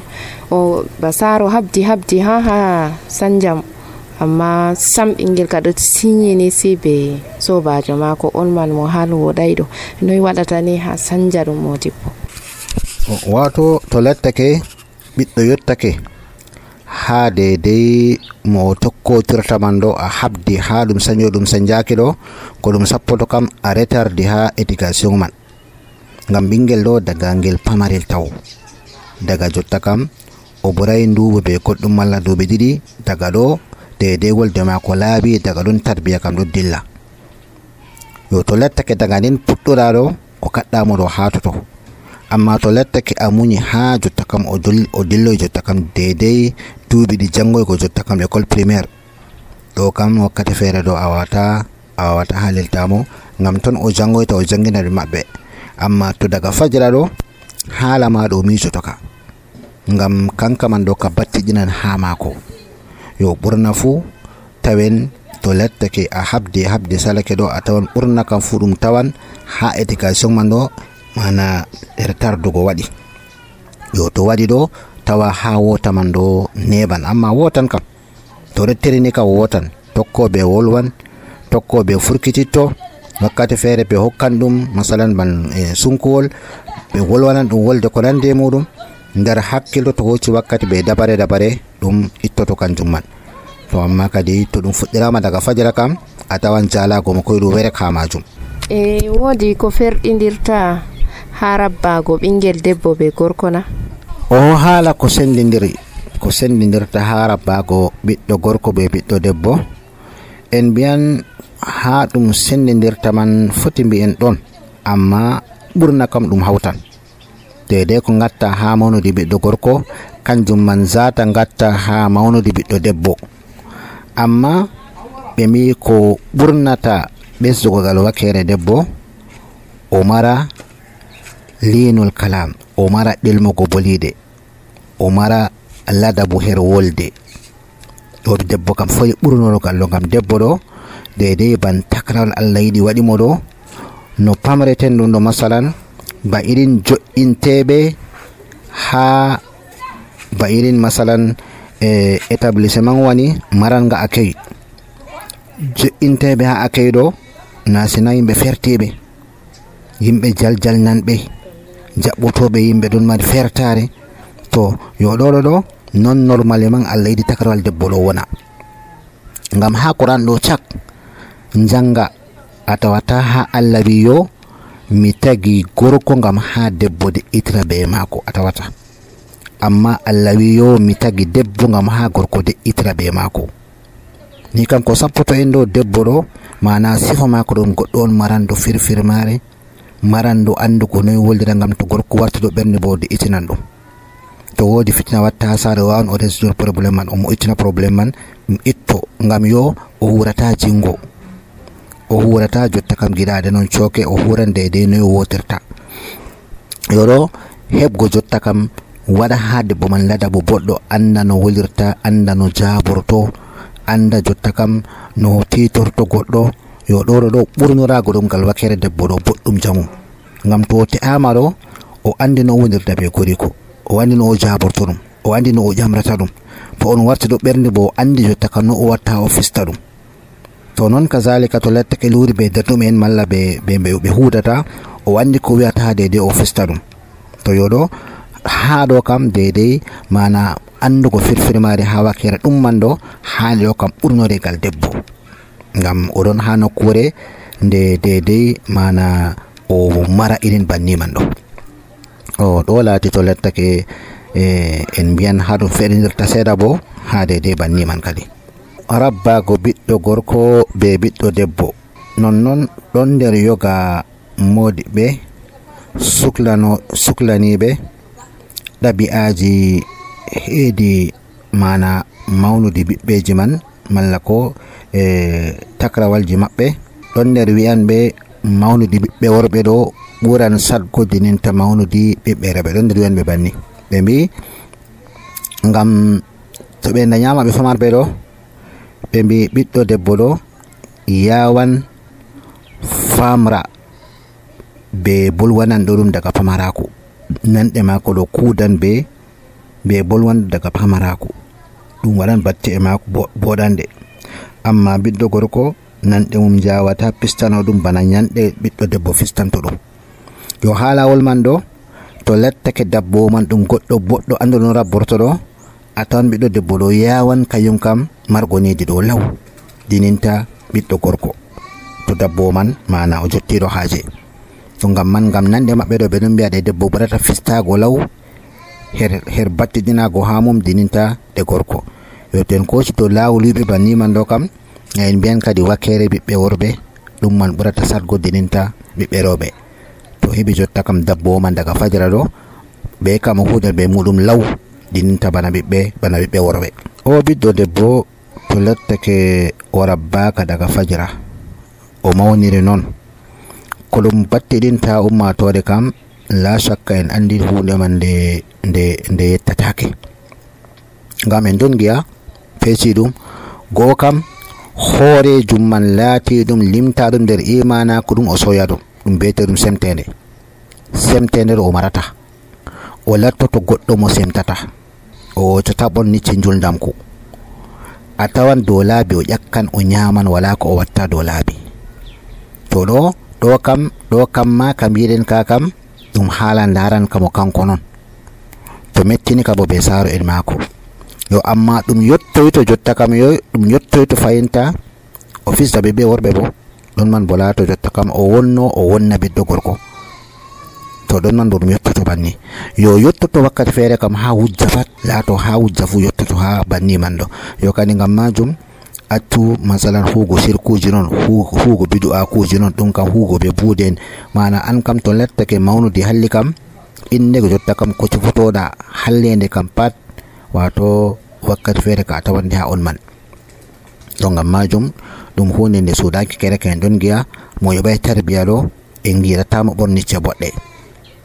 o basaro habdi ha sanjam amma sam ɓingel ka ɗo sinyini si be sobajo mako on man mo hal woɗay ɗo noyi waɗata ni ha sanja ɗum modibbo wato to lettake ɓiɗɗo yottake ha dedei mo tokkotirta man ɗo a habdi ha ɗum saño ɗum sanjaki ɗo ko ɗum sappoto kam a retardi ha éducation man ngam ɓingel ɗo daga ngel pamarel taw daga jotta kam o ɓuray nduɓu be goɗɗum malla duuɓi ɗiɗi daga ɗo dedei wolde mako laaɓi daga ɗon tarbiya kam ɗo dilla yo to lettake daga nden puɗɗora ɗo o kaɗɗamo ɗo hatoto amma to lettake a muñi ha jotta kam o dilloy jotta kam dedei duuɓi ɗi jangoygo jotta kam école primaire ɗo kam wakkati feere ɗo a wawata haliltamo ngam ton o jangoyta o jangina ɗum maɓɓe amma to daga fajira ɗo haala ma ɗo miijoto ka ngam kanka man ɗo ka battiɗinan ha maako yo ɓurna fuu tawen to lettake a habdi salake ɗo a tawan ɓurna kam fuu ɗum tawan ha éducation man ɗo mana tardugo waɗi yo to waɗi ɗo tawa ha wota man ɗo neɓan amma wotan kam to rettirini kam wotan tokkoɓe wolwan tokkoɓe furkititto wakkati feere ɓe hokkan ɗum masalan ban sunkuwol ɓe wolwanan ɗum wolde ko nande muɗum nder hakkilo to hocci wakkati ɓe dabare ɗum ittoto kanjum man to amma kadi to ɗum fuɗɗirama daga fajira kam a tawan jalago mo koyɗum were ka majum wodi ko ferɗidirta ha rabbago ɓingel debbo be gorko na o haala ko sendidirta ha rabbago ɓiɗɗo gorko be ɓiɗɗo debbo en mbiyan ha ɗum sendidirta man foti mbi'en ɗon amma ɓurna kam ɗum hawtan dedei ko gatta ha mawnude ɓiɗɗo gorko kanjum man zata gatta ha mawnude ɓiɗɗo debbo amma ɓe mbi ko ɓurnata ɓesdugo gal wakkere debbo o mara linol kalam o mara ɗelmugo bolide o mara ladabu her wolde ɗo debbo kam foyi ɓurnorogal ɗo ngam debbo ɗo dedei ban takrawal Allah yiɗi waɗimo ɗo no pamreten ɗum ɗo masalan ba irin jo'inteɓe ha ba irin masalan établissement wani maranga accueil jo'inteɓe ha accueil ɗo na sina yimɓe fertiɓe yimɓe jaljalnanɓe jaɓɓotoɓe yimɓe ɗon mari fertare to yo ɗo non normalement Allah yiɗi takrawal debbo ɗo wona ngam ha Qur'an ɗo cak janga a tawata ha Allah wi yo mi tagi gorko ngam ha debbo de'itira be mako a tawata amma Allah wi yo mi tagi debbo ngam ha gorko de'itira be mako ni kam ko sappoto en ɗo debbo ɗo mana sifa mako ɗon goɗɗo on marando firfirmare marando andugo noyi woldira ngam to gorko wartuɗo ɓernde bo de'itinan ɗum to wodi fitina watta ha saare wawan o resdor probléme man o moƴƴitina probléme man ɗum itto ngam yo o hurata jingo o hurata jotta kam giɗade noon cooke o huran dedei noyi wotirta yoɗo heɓgo jotta kam waɗa ha debbo man ladabu boɗɗo anda no wolirta anda no jaborto anda jotta kam no titorto goɗɗo yo ɗo ɓurnorago ɗum ngal wakkere debbo ɗo boɗɗum jamum, ngam to o te'ama ɗo o andi no o wonirta be goriko, o andi no o jaborto ɗum, o andi no o ƴamrata ɗum, to on warti ɗo ɓernde bo o andi jotta kam no o watta o fista ɗum. to noon kazalika to lettake luri be darɗumen malla ɓe hudata, o andi ko wiyata deidei o fista ɗum. to yoɗo ha ɗo kam deidei mana andugo firfirmare ha wakkere ɗum man ɗo hali ɗo kam ɓurnoregal debbo, ngam oɗon ha nokkure nde deidei mana o mara irin banni man ɗo. o ɗo laati to lettake en mbiyan ha ɗum feɗinirta seeɗa bo ha deidei banni man kadi. rabbago ɓiɗɗo gorko be ɓiɗɗo debbo nonnon ɗon nder yoga modiɓɓe suklaniɓe ɗabi'aji heedi mana mawnudi ɓiɓɓeji man malla ko takrawalji maɓɓe. ɗon nder wi'anɓe mawnudi ɓiɓɓe worɓe ɗo ɓuran sadgo dininta mawnudi ɓiɓɓe rewɓe. ɗon nder wi'anɓe banni, ɓe mbi ngam to ɓe dañama ɓe famarɓe ɗo ɓe mbi ɓiɗɗo debbo ɗo yawan famra be bolwanan ɗo ɗum daga pamaraku, nanɗe mako ɗo kudan be bolwan daga pamaraku, ɗum waɗan batte e mako boɗande. amma ɓiɗɗo gorko nanɗe mum jawata pistano ɗum bana ñanɗe ɓiɗɗo debbo fistanto ɗum. yo ha lawol man ɗo to lettake dabbo man ɗum goɗɗo boɗɗo ando no rabborto ɗo, a tawan ɓiɗɗo debbo ɗo yawan kayum kam margonidi ɗo law dininta ɓiɗɗo gorko to dabbo man mana o jottiɗo haaje. to ngam nanɗe maɓɓe ɗo ɓe ɗon mbiya ɗe debbo ɓurata fistago law her battidinago ha mum dininta ɗe gorko. yo ten koci to lawol wiɓe banni man ɗo kam en mbiyan kadi wakkere ɓiɓɓe worɓe ɗum man ɓurata sadgo dininta ɓiɓɓe rewɓe. to heɓi jotta kam dabbo man daga fajira ɗo ɓe kam o hudan be muɗum law dininta bana ɓiɓɓe worɓe. o ɓiɗɗo debbo to lettake o rabbaka daga fajira o mawniri noon ko ɗum battidinta ummatore kam la shakka en andi hunde man nde yettatake, ngam en don giya feci ɗum go kam hoorejum man laati ɗum limta ɗum nder imana ko ɗum o soya ɗum bete ɗum semtende ɗo o marata, o lattoto goɗɗo mo semtata, o wocota ɓonnicci juldamku. a tawan dow laabi o ƴakkan o ñaman wala ko o watta dow laabi. to ɗo kam ma kam yiɗen ka kam ɗum haala daran kamo kanko non to mettini kabo be saaro en maako. yo amma ɗum yottoyto jotta kam ɗum yottoyto fayinta o fisda ɓe worɓe bo ɗon man bo laato jotta kam o wonna ɓiɗɗo gorko, to ɗon man bo ɗum yottoto banni. yo yottoto wakkati feere kam ha wujja pat laato ha wujja fu yottoto ha banni man ɗo. yo kadi ngam majum accu masalan huugo sirkuji noon, huugo bidu'akuji noon, ɗum kam huugo be buuden mana an kam to lettake mawnudi halli kam innde jotta kam ko cufotoɗa hallende kam pat wato wakkati feere ka a tawande ha on man. to ngam majum ɗum hunde nde sudaki kereke en ɗon giya mo yoɓay tarbiya ɗo en giratamo ɓornicce boɗɗe.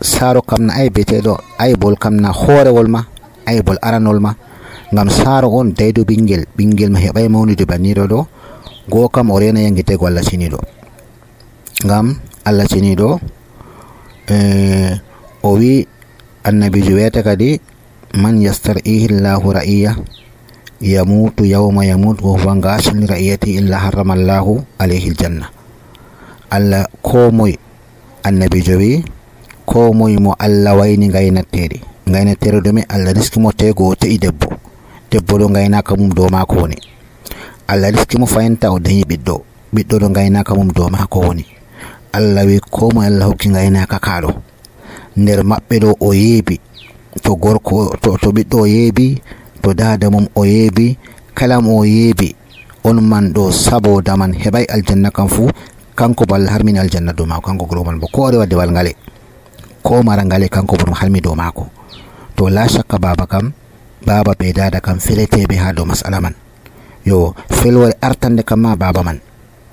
saaro kam na ay beteɗo aybol kam na hoorewol ma aybol aranol ma, ngam saaro on daydo ɓingel ma heɓay mawnude banniɗo ɗo go kam o rena yangitego Allah ceniɗo, ngam Allah ceniɗo o wi annabijo wiyata kadi man yastar'ihi llahu ra'iya yamutu yawma yamut wa huwa gasul li ra'iyati illa harrama allahu alayhi aljanna. Allah ko moy annabijo wi ko moy mo Allah wayni gaynatere ɗume Allah riskimo tego o te'i debbo ɗo gaynaka mum dow mako woni, Allah riskimo fayinta o dañi ɓiɗɗo ɗo gaynaka mum dow mako woni. Allah wi ko moy Allah hokki gaynaka kaɗo nder maɓɓe ɗo o yeebi, to gorko to ɓiɗɗo o yeebi, to dada mum o yeebi, kala mo o yeebi on man ɗo saboda man heɓay aljanna kam fu kanko bo Allah harmini aljanna dow mako, kanko goro man bo ko ore wadde wal ngale ko mara ngale kanko bo ɗum harmi dow mako. to la shakka baba be dada kam feleteɓe ha dow masala man. yo felwore artande kam ma baba man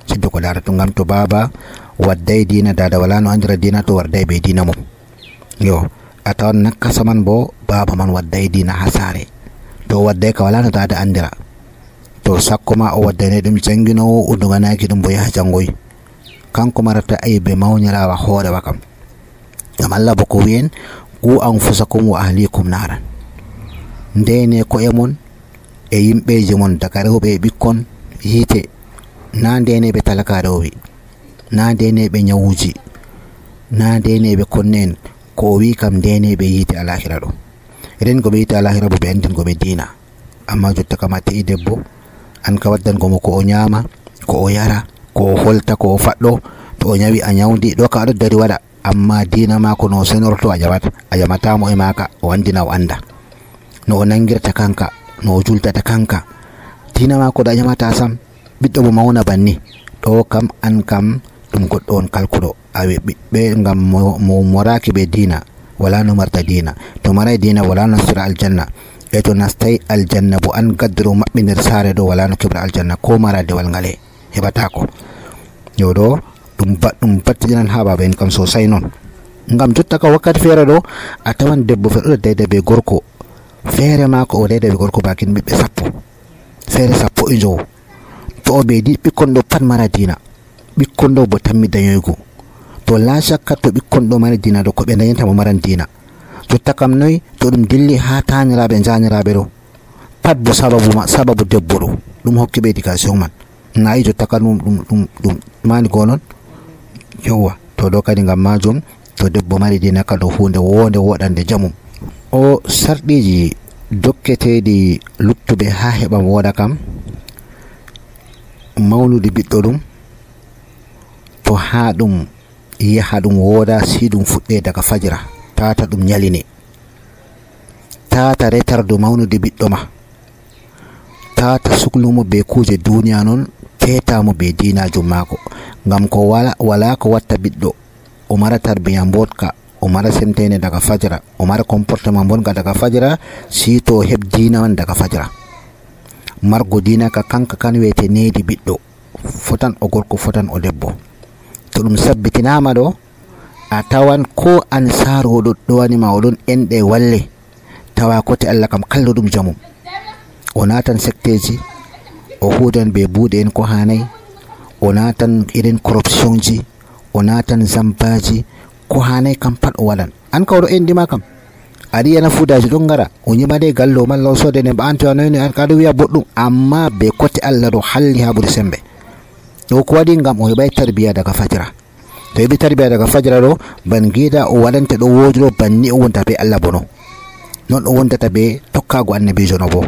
siddo ko darata, ngam to baba wadday dina dada wala no andira dina to warday be dina mum. yo a tawan nakkasa man bo baba man wadday dina ha saare, to wadday ka wala no dada andira, to sakko ma o waddane ɗum janginowo o duganaki ɗum bo yaha jangoyi kanko marata aybe mawnirawa hoorewa kam ngam Allah bo ko wi'en qu anfusakum wa ahlikum naran ndene ko e mon e yimɓeji mon daga rewɓe e ɓikkon yiite na ndeneɓe talaka rewɓe na ndeneɓe nyawuji na ndeneɓe konnen ko o wi kam ndeneɓe yiite alahira ɗo ren ko ɓe yiite alahira bo ɓe andin ko ɓe diina amma jotta kam a te'i debbo an ka waddangomo ko o nyama ko o yara ko o holta ko o faɗɗo to o nyawi a nyawdi ɗo ka aɗo dari waɗa amma diina mako no senorto a jamatamo e maka o andina o anda no o nangirta kanka no o jultata kanka diina mako ɗo a nyamata sam ɓiɗɗo mo mawna banni ɗo kam an kam ɗum goɗɗo on kalkuɗo awe ɓiɓɓe ngam mo moraki ɓe diina wala no marta diina to maray diina wala nastira aljanna e to nastay aljanna bo an gaddoro maɓɓe nder saare ɗo wala no keɓra aljanna ko mara dewal ngale heɓatako yo ɗo ɗum battidinan ha baba en kam sosai non ngam jotta ka wakkati feere ɗo a tawan debbo feɗo dayda be gorko feere mako o dayda be gorko bakin ɓiɓɓe 10 feere 15 to o ɓeydi ɓikkon ɗo pat mara diina ɓikkon ɗo bo tammi dañoygo to la shakka to ɓikkon ɗo mari diina ɗo ko ɓe dañanta mo maran diina jotta kam noyi to ɗum dilli ha taniraɓe janiraɓe ɗo pat bo sababu debbo ɗo ɗum hokki ɓe éducation man nayi jotta ka ɗum mani go non yowa to ɗo kadi ngam majum to debbo mari diina ka ɗo hunde wonde woɗande jamum o sarɗiji dokketeɗi luttuɓe ha heɓa woɗa kam mawnude ɓiɗɗo ɗum to ha ɗum yaha ɗum wooda si ɗum fuɗɗe daga fajira tata ɗum ñaline tata retardo mawnude ɓiɗɗo ma tata suklumo be kuje duniya non fetamo be dinajum mako ngam ko wala ko watta ɓiɗɗo o mara tarbiya mbotka o mara semtene daga fajira o mara comportement bonga daga fajira si to heb dina man daga fajira margo dina ka kanka kan wete needi ɓiɗɗo fotan o gorko fotan o debbo to ɗum sabbitinama ɗo a tawan ko an saroɗo ɗo wanima oɗon enɗe walle tawa kote Allah kam kallo ɗum jamum o natan secteji o hudan be buuɗe en ko hanay o natan irin corruption ji o natan zampaji ko hanay kam pat o waɗan an ka oɗo endima kam aɗa yana fudaji ɗon gara o ñimade gallo malla o sodene ba anto anoyni an kaɗo wiya boɗɗum amma be kote Allah ɗo halli ha ɓuri sembe ɗo ko waɗi ngam o heɓay tarbiya daga fajira to heɓi tarbiya daga fajira ɗo ban giida o waɗanta ɗo woodi ɗo banni o wonta be Allah bono non o wontata be tokkago annabijo no bo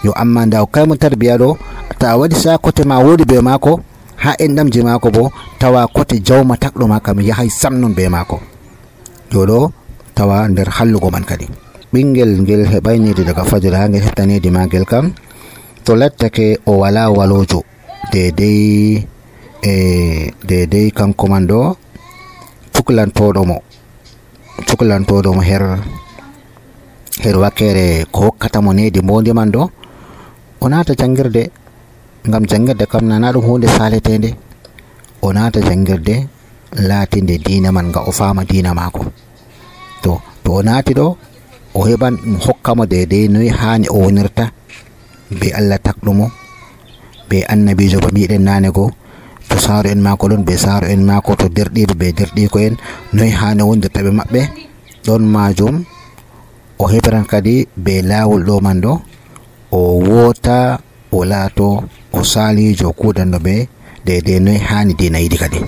yo amma nda o kaymo tarbiya ɗo ta waɗi sa kote ma woodi be mako ha enɗamji mako bo tawa kote jawma takɗo ma kam yahay sam non be mako yo ɗo tawa nder hallugo man kadi ɓingel ngel heɓaynidi daga fajira ha ngel heftanidi magel kam to lattake o wala walojo dedei kanko man ɗo cuklantoɗo mo her wakkere ko hokkatamo nedi mbondi man ɗo o nata jangirde ngam jangirde kam nana ɗum hunde saletede o nata jangirde laatinde diina man nga o fama diina mako to o naati ɗo o heɓan ɗum hokkamo dedei noyi hani o wonirta be Allah takɗumo be annabijo ba miɗen nane go to saaro en mako ɗon be saaro en mako to derɗiɓe be derɗiko en noyi hani wondirta ɓe maɓɓe ɗon majum o heɓran kadi be lawol ɗo man ɗo o wota o laato o salijo kudanno ɓe dedei noyi hani dina yiɗi kadi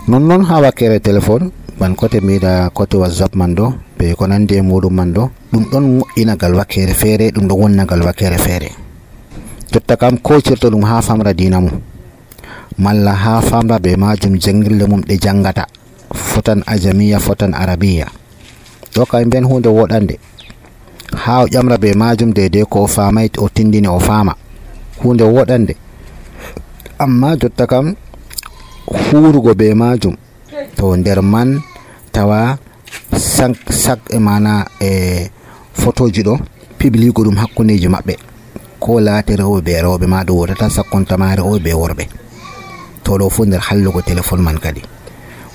nonnon ha wakkere téléphone ban kote mbiɗa kote whatsapp man ɗo be ko nandi e muɗum man ɗo ɗum ɗon moƴƴinagal wakkere feere ɗum ɗo wonnagal wakkere feere jotta kam ko cirto ɗum ha famra dina mum malla ha famra be majum jangirle mum ɗe jangata fotan ajamiya fotan arabiya ɗo kam mbiyan hunde woɗande ha o ƴamra be majum dedei ko o famay o tindini o fama hunde woɗande amma jotta kam hurugo be majum to nder man tawa sak e mana photoji ɗo pibligo ɗum hakkuneji maɓɓe ko laati rewɓe be rewɓe ma ɗo wotata sakkontama rewɓe be worɓe to ɗo fu nder hallugo téléphone man kadi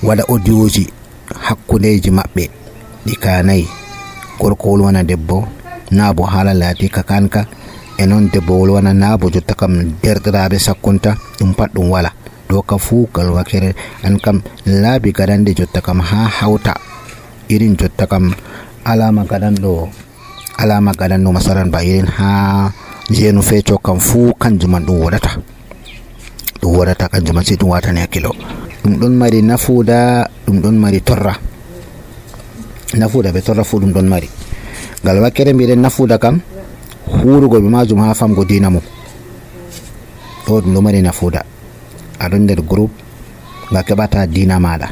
waɗa audioji hakkuneji maɓɓe ɗi kanayi gorko wolwana debbo na bo haala laati ka kanka e non debbo wolwana na bo jotta kam derɗiraɓe sakkunta ɗum pat ɗum wala ɗo kam fuu gal wakere an kam laabi gadande jotta kam ha hawta irin jotta kam alama gadanɗo masalan ba irin ha jeenu feeco kam fuu kanjuman ɗum woɗata kanjuman si ɗum watani hakkilo ɗum ɗon mari nafuuda ɗum ɗon mari torra nafuuda be torra fuu ɗum ɗon mari gal wakkere mbiɗen nafuuda kam hurugo be majum ha famgo dina mum ɗo ɗum ɗo mari nafuuda aɗon nder groupe nga keɓata dina maɗa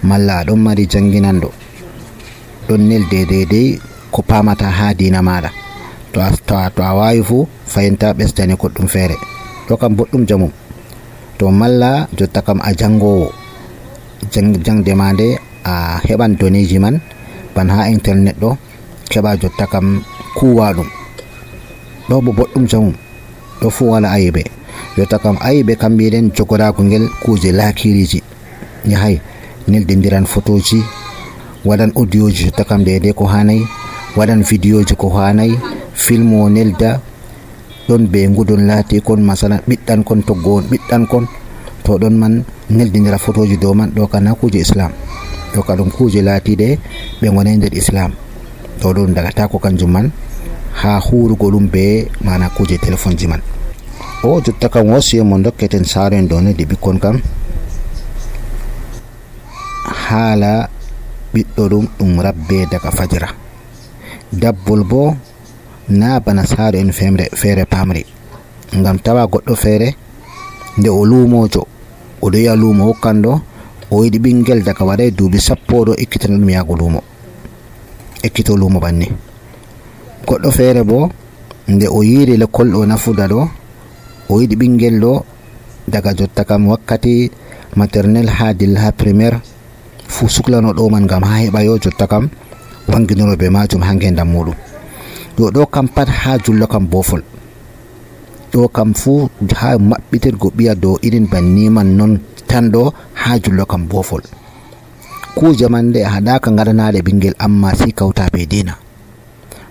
malla aɗon mari janginanɗo ɗon nelde dedei ko pamata ha dina maɗa to a wawi fu fayinta ɓesdani goɗɗum feere ɗo kam boɗɗum jamum to malla jotta kam a jangowo jangde ma nde a heɓan donneji man ban ha internet ɗo keɓa jotta kam kuwa ɗum ɗo bo boɗɗum jamum ɗo fu wala ayibe jotta kam ayibe kam mbiɗen jogorago ngel kuje lakiriji yahay neldindiran photoji waɗan audioji jotta kam dede ko hanayi waɗan vidéoji ko hanayi film o nelda ɗon be ngudon laati kon masalan ɓiɗɗan kon toggo on ɓiɗɗan kon to ɗon man neldindira photoji dow man ɗo kana kuje islam ɗo ka ɗum kuje laatiɗe ɓe gonay nder islam to ɗum dagata ko kanjum man ha hurugo ɗum be mana kuje téléphone ji man o jotta kam wasiye mo dokketen saren dow neddi ɓikkon kam haala ɓiɗɗo ɗum rabbe daga fajira dabbol bo na bana saaro en feere pamri ngam tawa goɗɗo feere nde o luumojo oɗo yi'a luumo hokkanɗo o yiɗi ɓingel daga waɗay duuɓi 10 ɗo ekkitana ɗum yaago luumo ekkito luumo banni goɗɗo feere bo nde o yiiri l'école ɗo nafuda ɗo o yiɗi ɓingel ɗo daga jotta kam wakkati maternel ha dilla ha primaire fu suklano ɗo man ngam ha heɓa yo jotta kam wanginoro be majum ha ngendam muɗum yo ɗo kam pat ha jullo kam bofol ɗo kam fu ha maɓɓitirgo ɓiya dow irin banni man non tan ɗo ha jullo kam bofol kuje man nde haɗaka gaɗanaɗe ɓingel amma si kawta be dina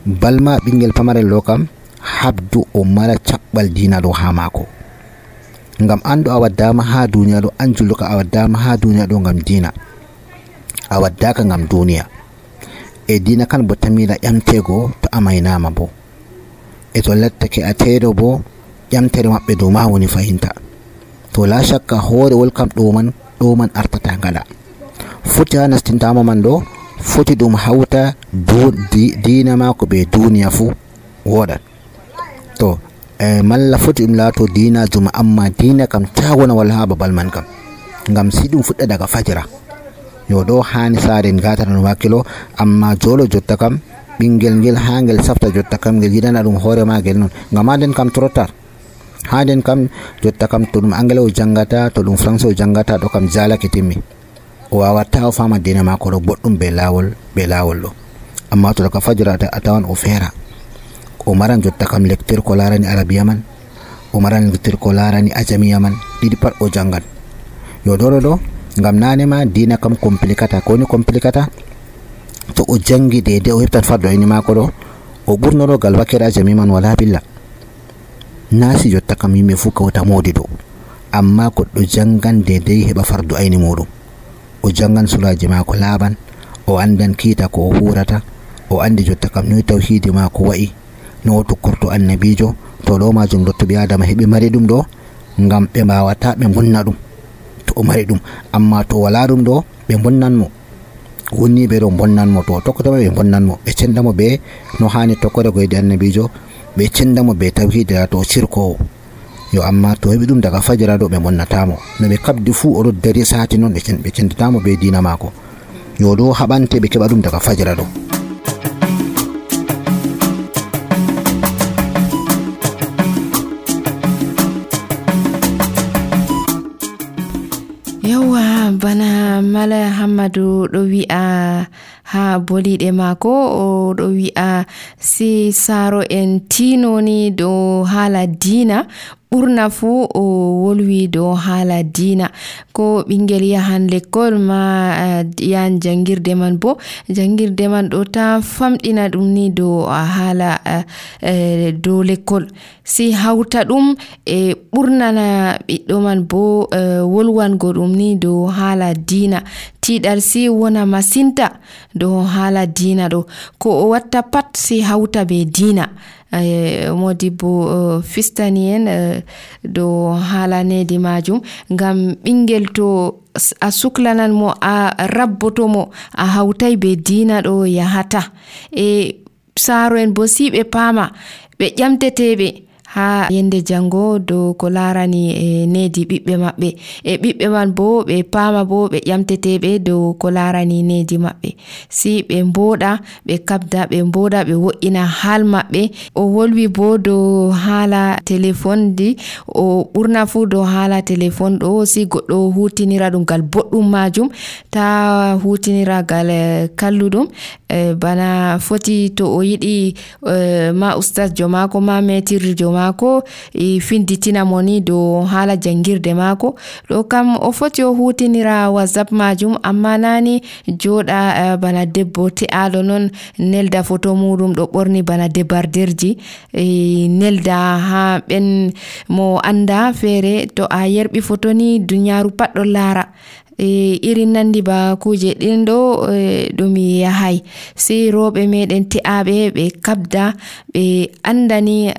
balma ɓingel pamarel ɗo kam habdu o mara caɓɓal dina ɗo ha mako ngam andu a waddama ha duniya ɗo an jullo ka a waddama ha duniya ɗo ngam dina a waddaka ngam duniya e dina kan bo tamira ƴamtego to amaynama bo e to lattake a teeɗo bo ƴamtere maɓɓe dow ma woni fayinta to la shakka hoorewol kam ɗo man artata gaɗa foti ha nastintama man ɗo foti ɗum hawta dina mako be duniya fu woɗan to malla foti ɗum laato dina juma amma dina kam ta wona walla ha babal man kam ngam si ɗum fuɗɗa daga fajira yo ɗo hani saren gatata no wakkilo amma jolo jotta kam ɓingel ngel ha ngel safta jotta kam ngel yiɗana ɗum hoore magel non ngam ha nden kam trottar ha nden kam jotta kam to ɗum anglais o jangata to ɗum français o jangata ɗo kam jalake timmi o wawatta o fama dina mako ɗo boɗɗum be lawol ɗo amma to daga fajira a tawan o feera o maran jotta kam lecture ko larani arabia man o maran lecture ko larani ajamiya man ɗiɗi pat o jangan yo ɗo ngam nanema dina kam complicata ko woni complicata to o jangi dede o heftan fardo ayni mako ɗo o ɓurnoɗo gal wakkere ajami man wala billa nasi jotta kam yimɓe fu kawta modi ɗo amma goɗɗo jangan dedei heɓa fardu ayni muɗum o jangan suraji mako laaɓan o andan kiita ko o hurata o andi jotta kam noyi tawhidi mako wa'i no o tokkorto annabijo to ɗo majum dotto ɓi adama heɓi mari ɗum ɗo ngam ɓe mbawata ɓe bonna ɗum to o mari ɗum amma to wala ɗum ɗo ɓe bonnanmo wonni ɓe ɗo bonnanmo to tokkotoma ɓe bonnanmo ɓe cendamo be no hani tokkore ko yiɗi annabijo ɓe cendamo be tawhidira to cirkowo yo amma to heɓi ɗum daga fajira ɗo ɓe bonnatamo no ɓe kabdi fuu oɗo dari sati noon ɓe cendatamo be dina mako yo ɗo haɓante ɓe keɓa ɗum daga fajira ɗo. Yawwa bana mala Hammadou ɗo wi'a ha boliɗe maako. O ɗo wi'a si saaro en tinoni dow haala diina, ɓurna fuu o wolwi dow haala diina. Ko ɓingel yahan l'école ma yahan jangirde man, bo jangirde man ɗo ta famɗina ɗum ni dow haala dow l'école. Si hauta ɗum e ɓurnana ɓiɗɗo man bo wolwango ɗum ni dow haala diina. Tiiɗal si wona masinta dow haala diina ɗo. Ko o watta pat si hauta be diina. Modibbo fistani en dow haala nedi majum, ngam ɓingel to a suklanan mo, a rabboto mo, a hautai be diina ɗo yahata. E saaro en bo si ɓe paama, ɓe ƴamteteɓe ha yende jango dow ko larani nedi ɓiɓɓe maɓɓe, e ɓiɓɓe man bo ɓe paama bo ɓe ƴamteteɓe dow ko larani nedi maɓɓe. Si ɓe mboɗa, ɓe kabda, ɓe mboɗa, ɓe wo'ina haal maɓɓe. O wolwi bo dow haala téléphone di, o ɓurna fu dow haala téléphone ɗo. Si goɗɗo hutinira ɗum gal boɗɗum majum, ta hutinira gal kalluɗum. Bana foti to o yiɗi ma ustaz jo mako, ma metirjo jo mako finditina mo ni dow haala jangirde mako, ɗo kam o foti o hutinira whatsapp majum, amma nani joɗa bana debbo te'aɗo non nelda photo muɗum ɗo ɓorni bana debarderji, nelda ha ɓen mo anda feere. To a yerɓi photo ni dunyaru pat ɗo laara. Irin nandi ba kuje ɗin ɗo ɗum yahay. Si rooɓe meɗen te'aɓe ɓe kabda, ɓe andani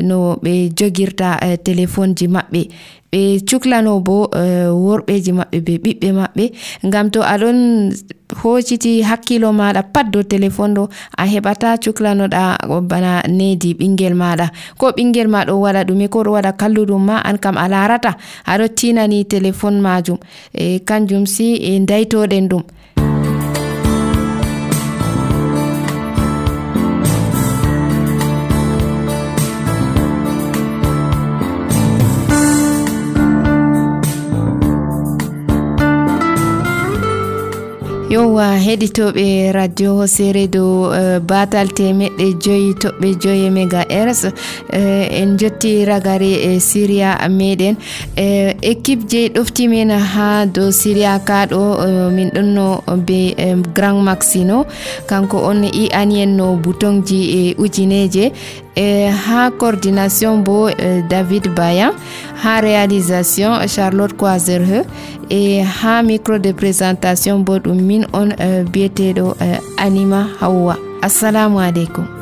no ɓe jogirta téléphone ji maɓɓe, ɓe cuklano bo worɓeji maɓɓe be ɓiɓɓe maɓɓe. Ngam to aɗon hociti hakkilo maɗa pat dow téléphone ɗo, a heɓata cuklanoɗa bana nedi ɓingel maɗa. Ko ɓingel ma ɗo waɗa ɗume, ko ɗo waɗa kalluɗum ma, an kam a larata, aɗo tinani téléphone majum. Kanjum si daitoɗen ɗum. Yowa heɗitoɓe radio Hosere dow batal temeɗɗe 5.5 MHz, en jotti ragare Syria meɗen. Équipe je ɗofti men ha dow Syria ka ɗo min ɗonno be Grand Maxino, kanko on i'ani en no boutonji ujineje. Ha coordination bo David Bayan, ha réalisation Charlotte Coisereux, et ha micro de présentation bo ɗum min on biyeteɗo Anima Hawwa. Assalamu alaikum.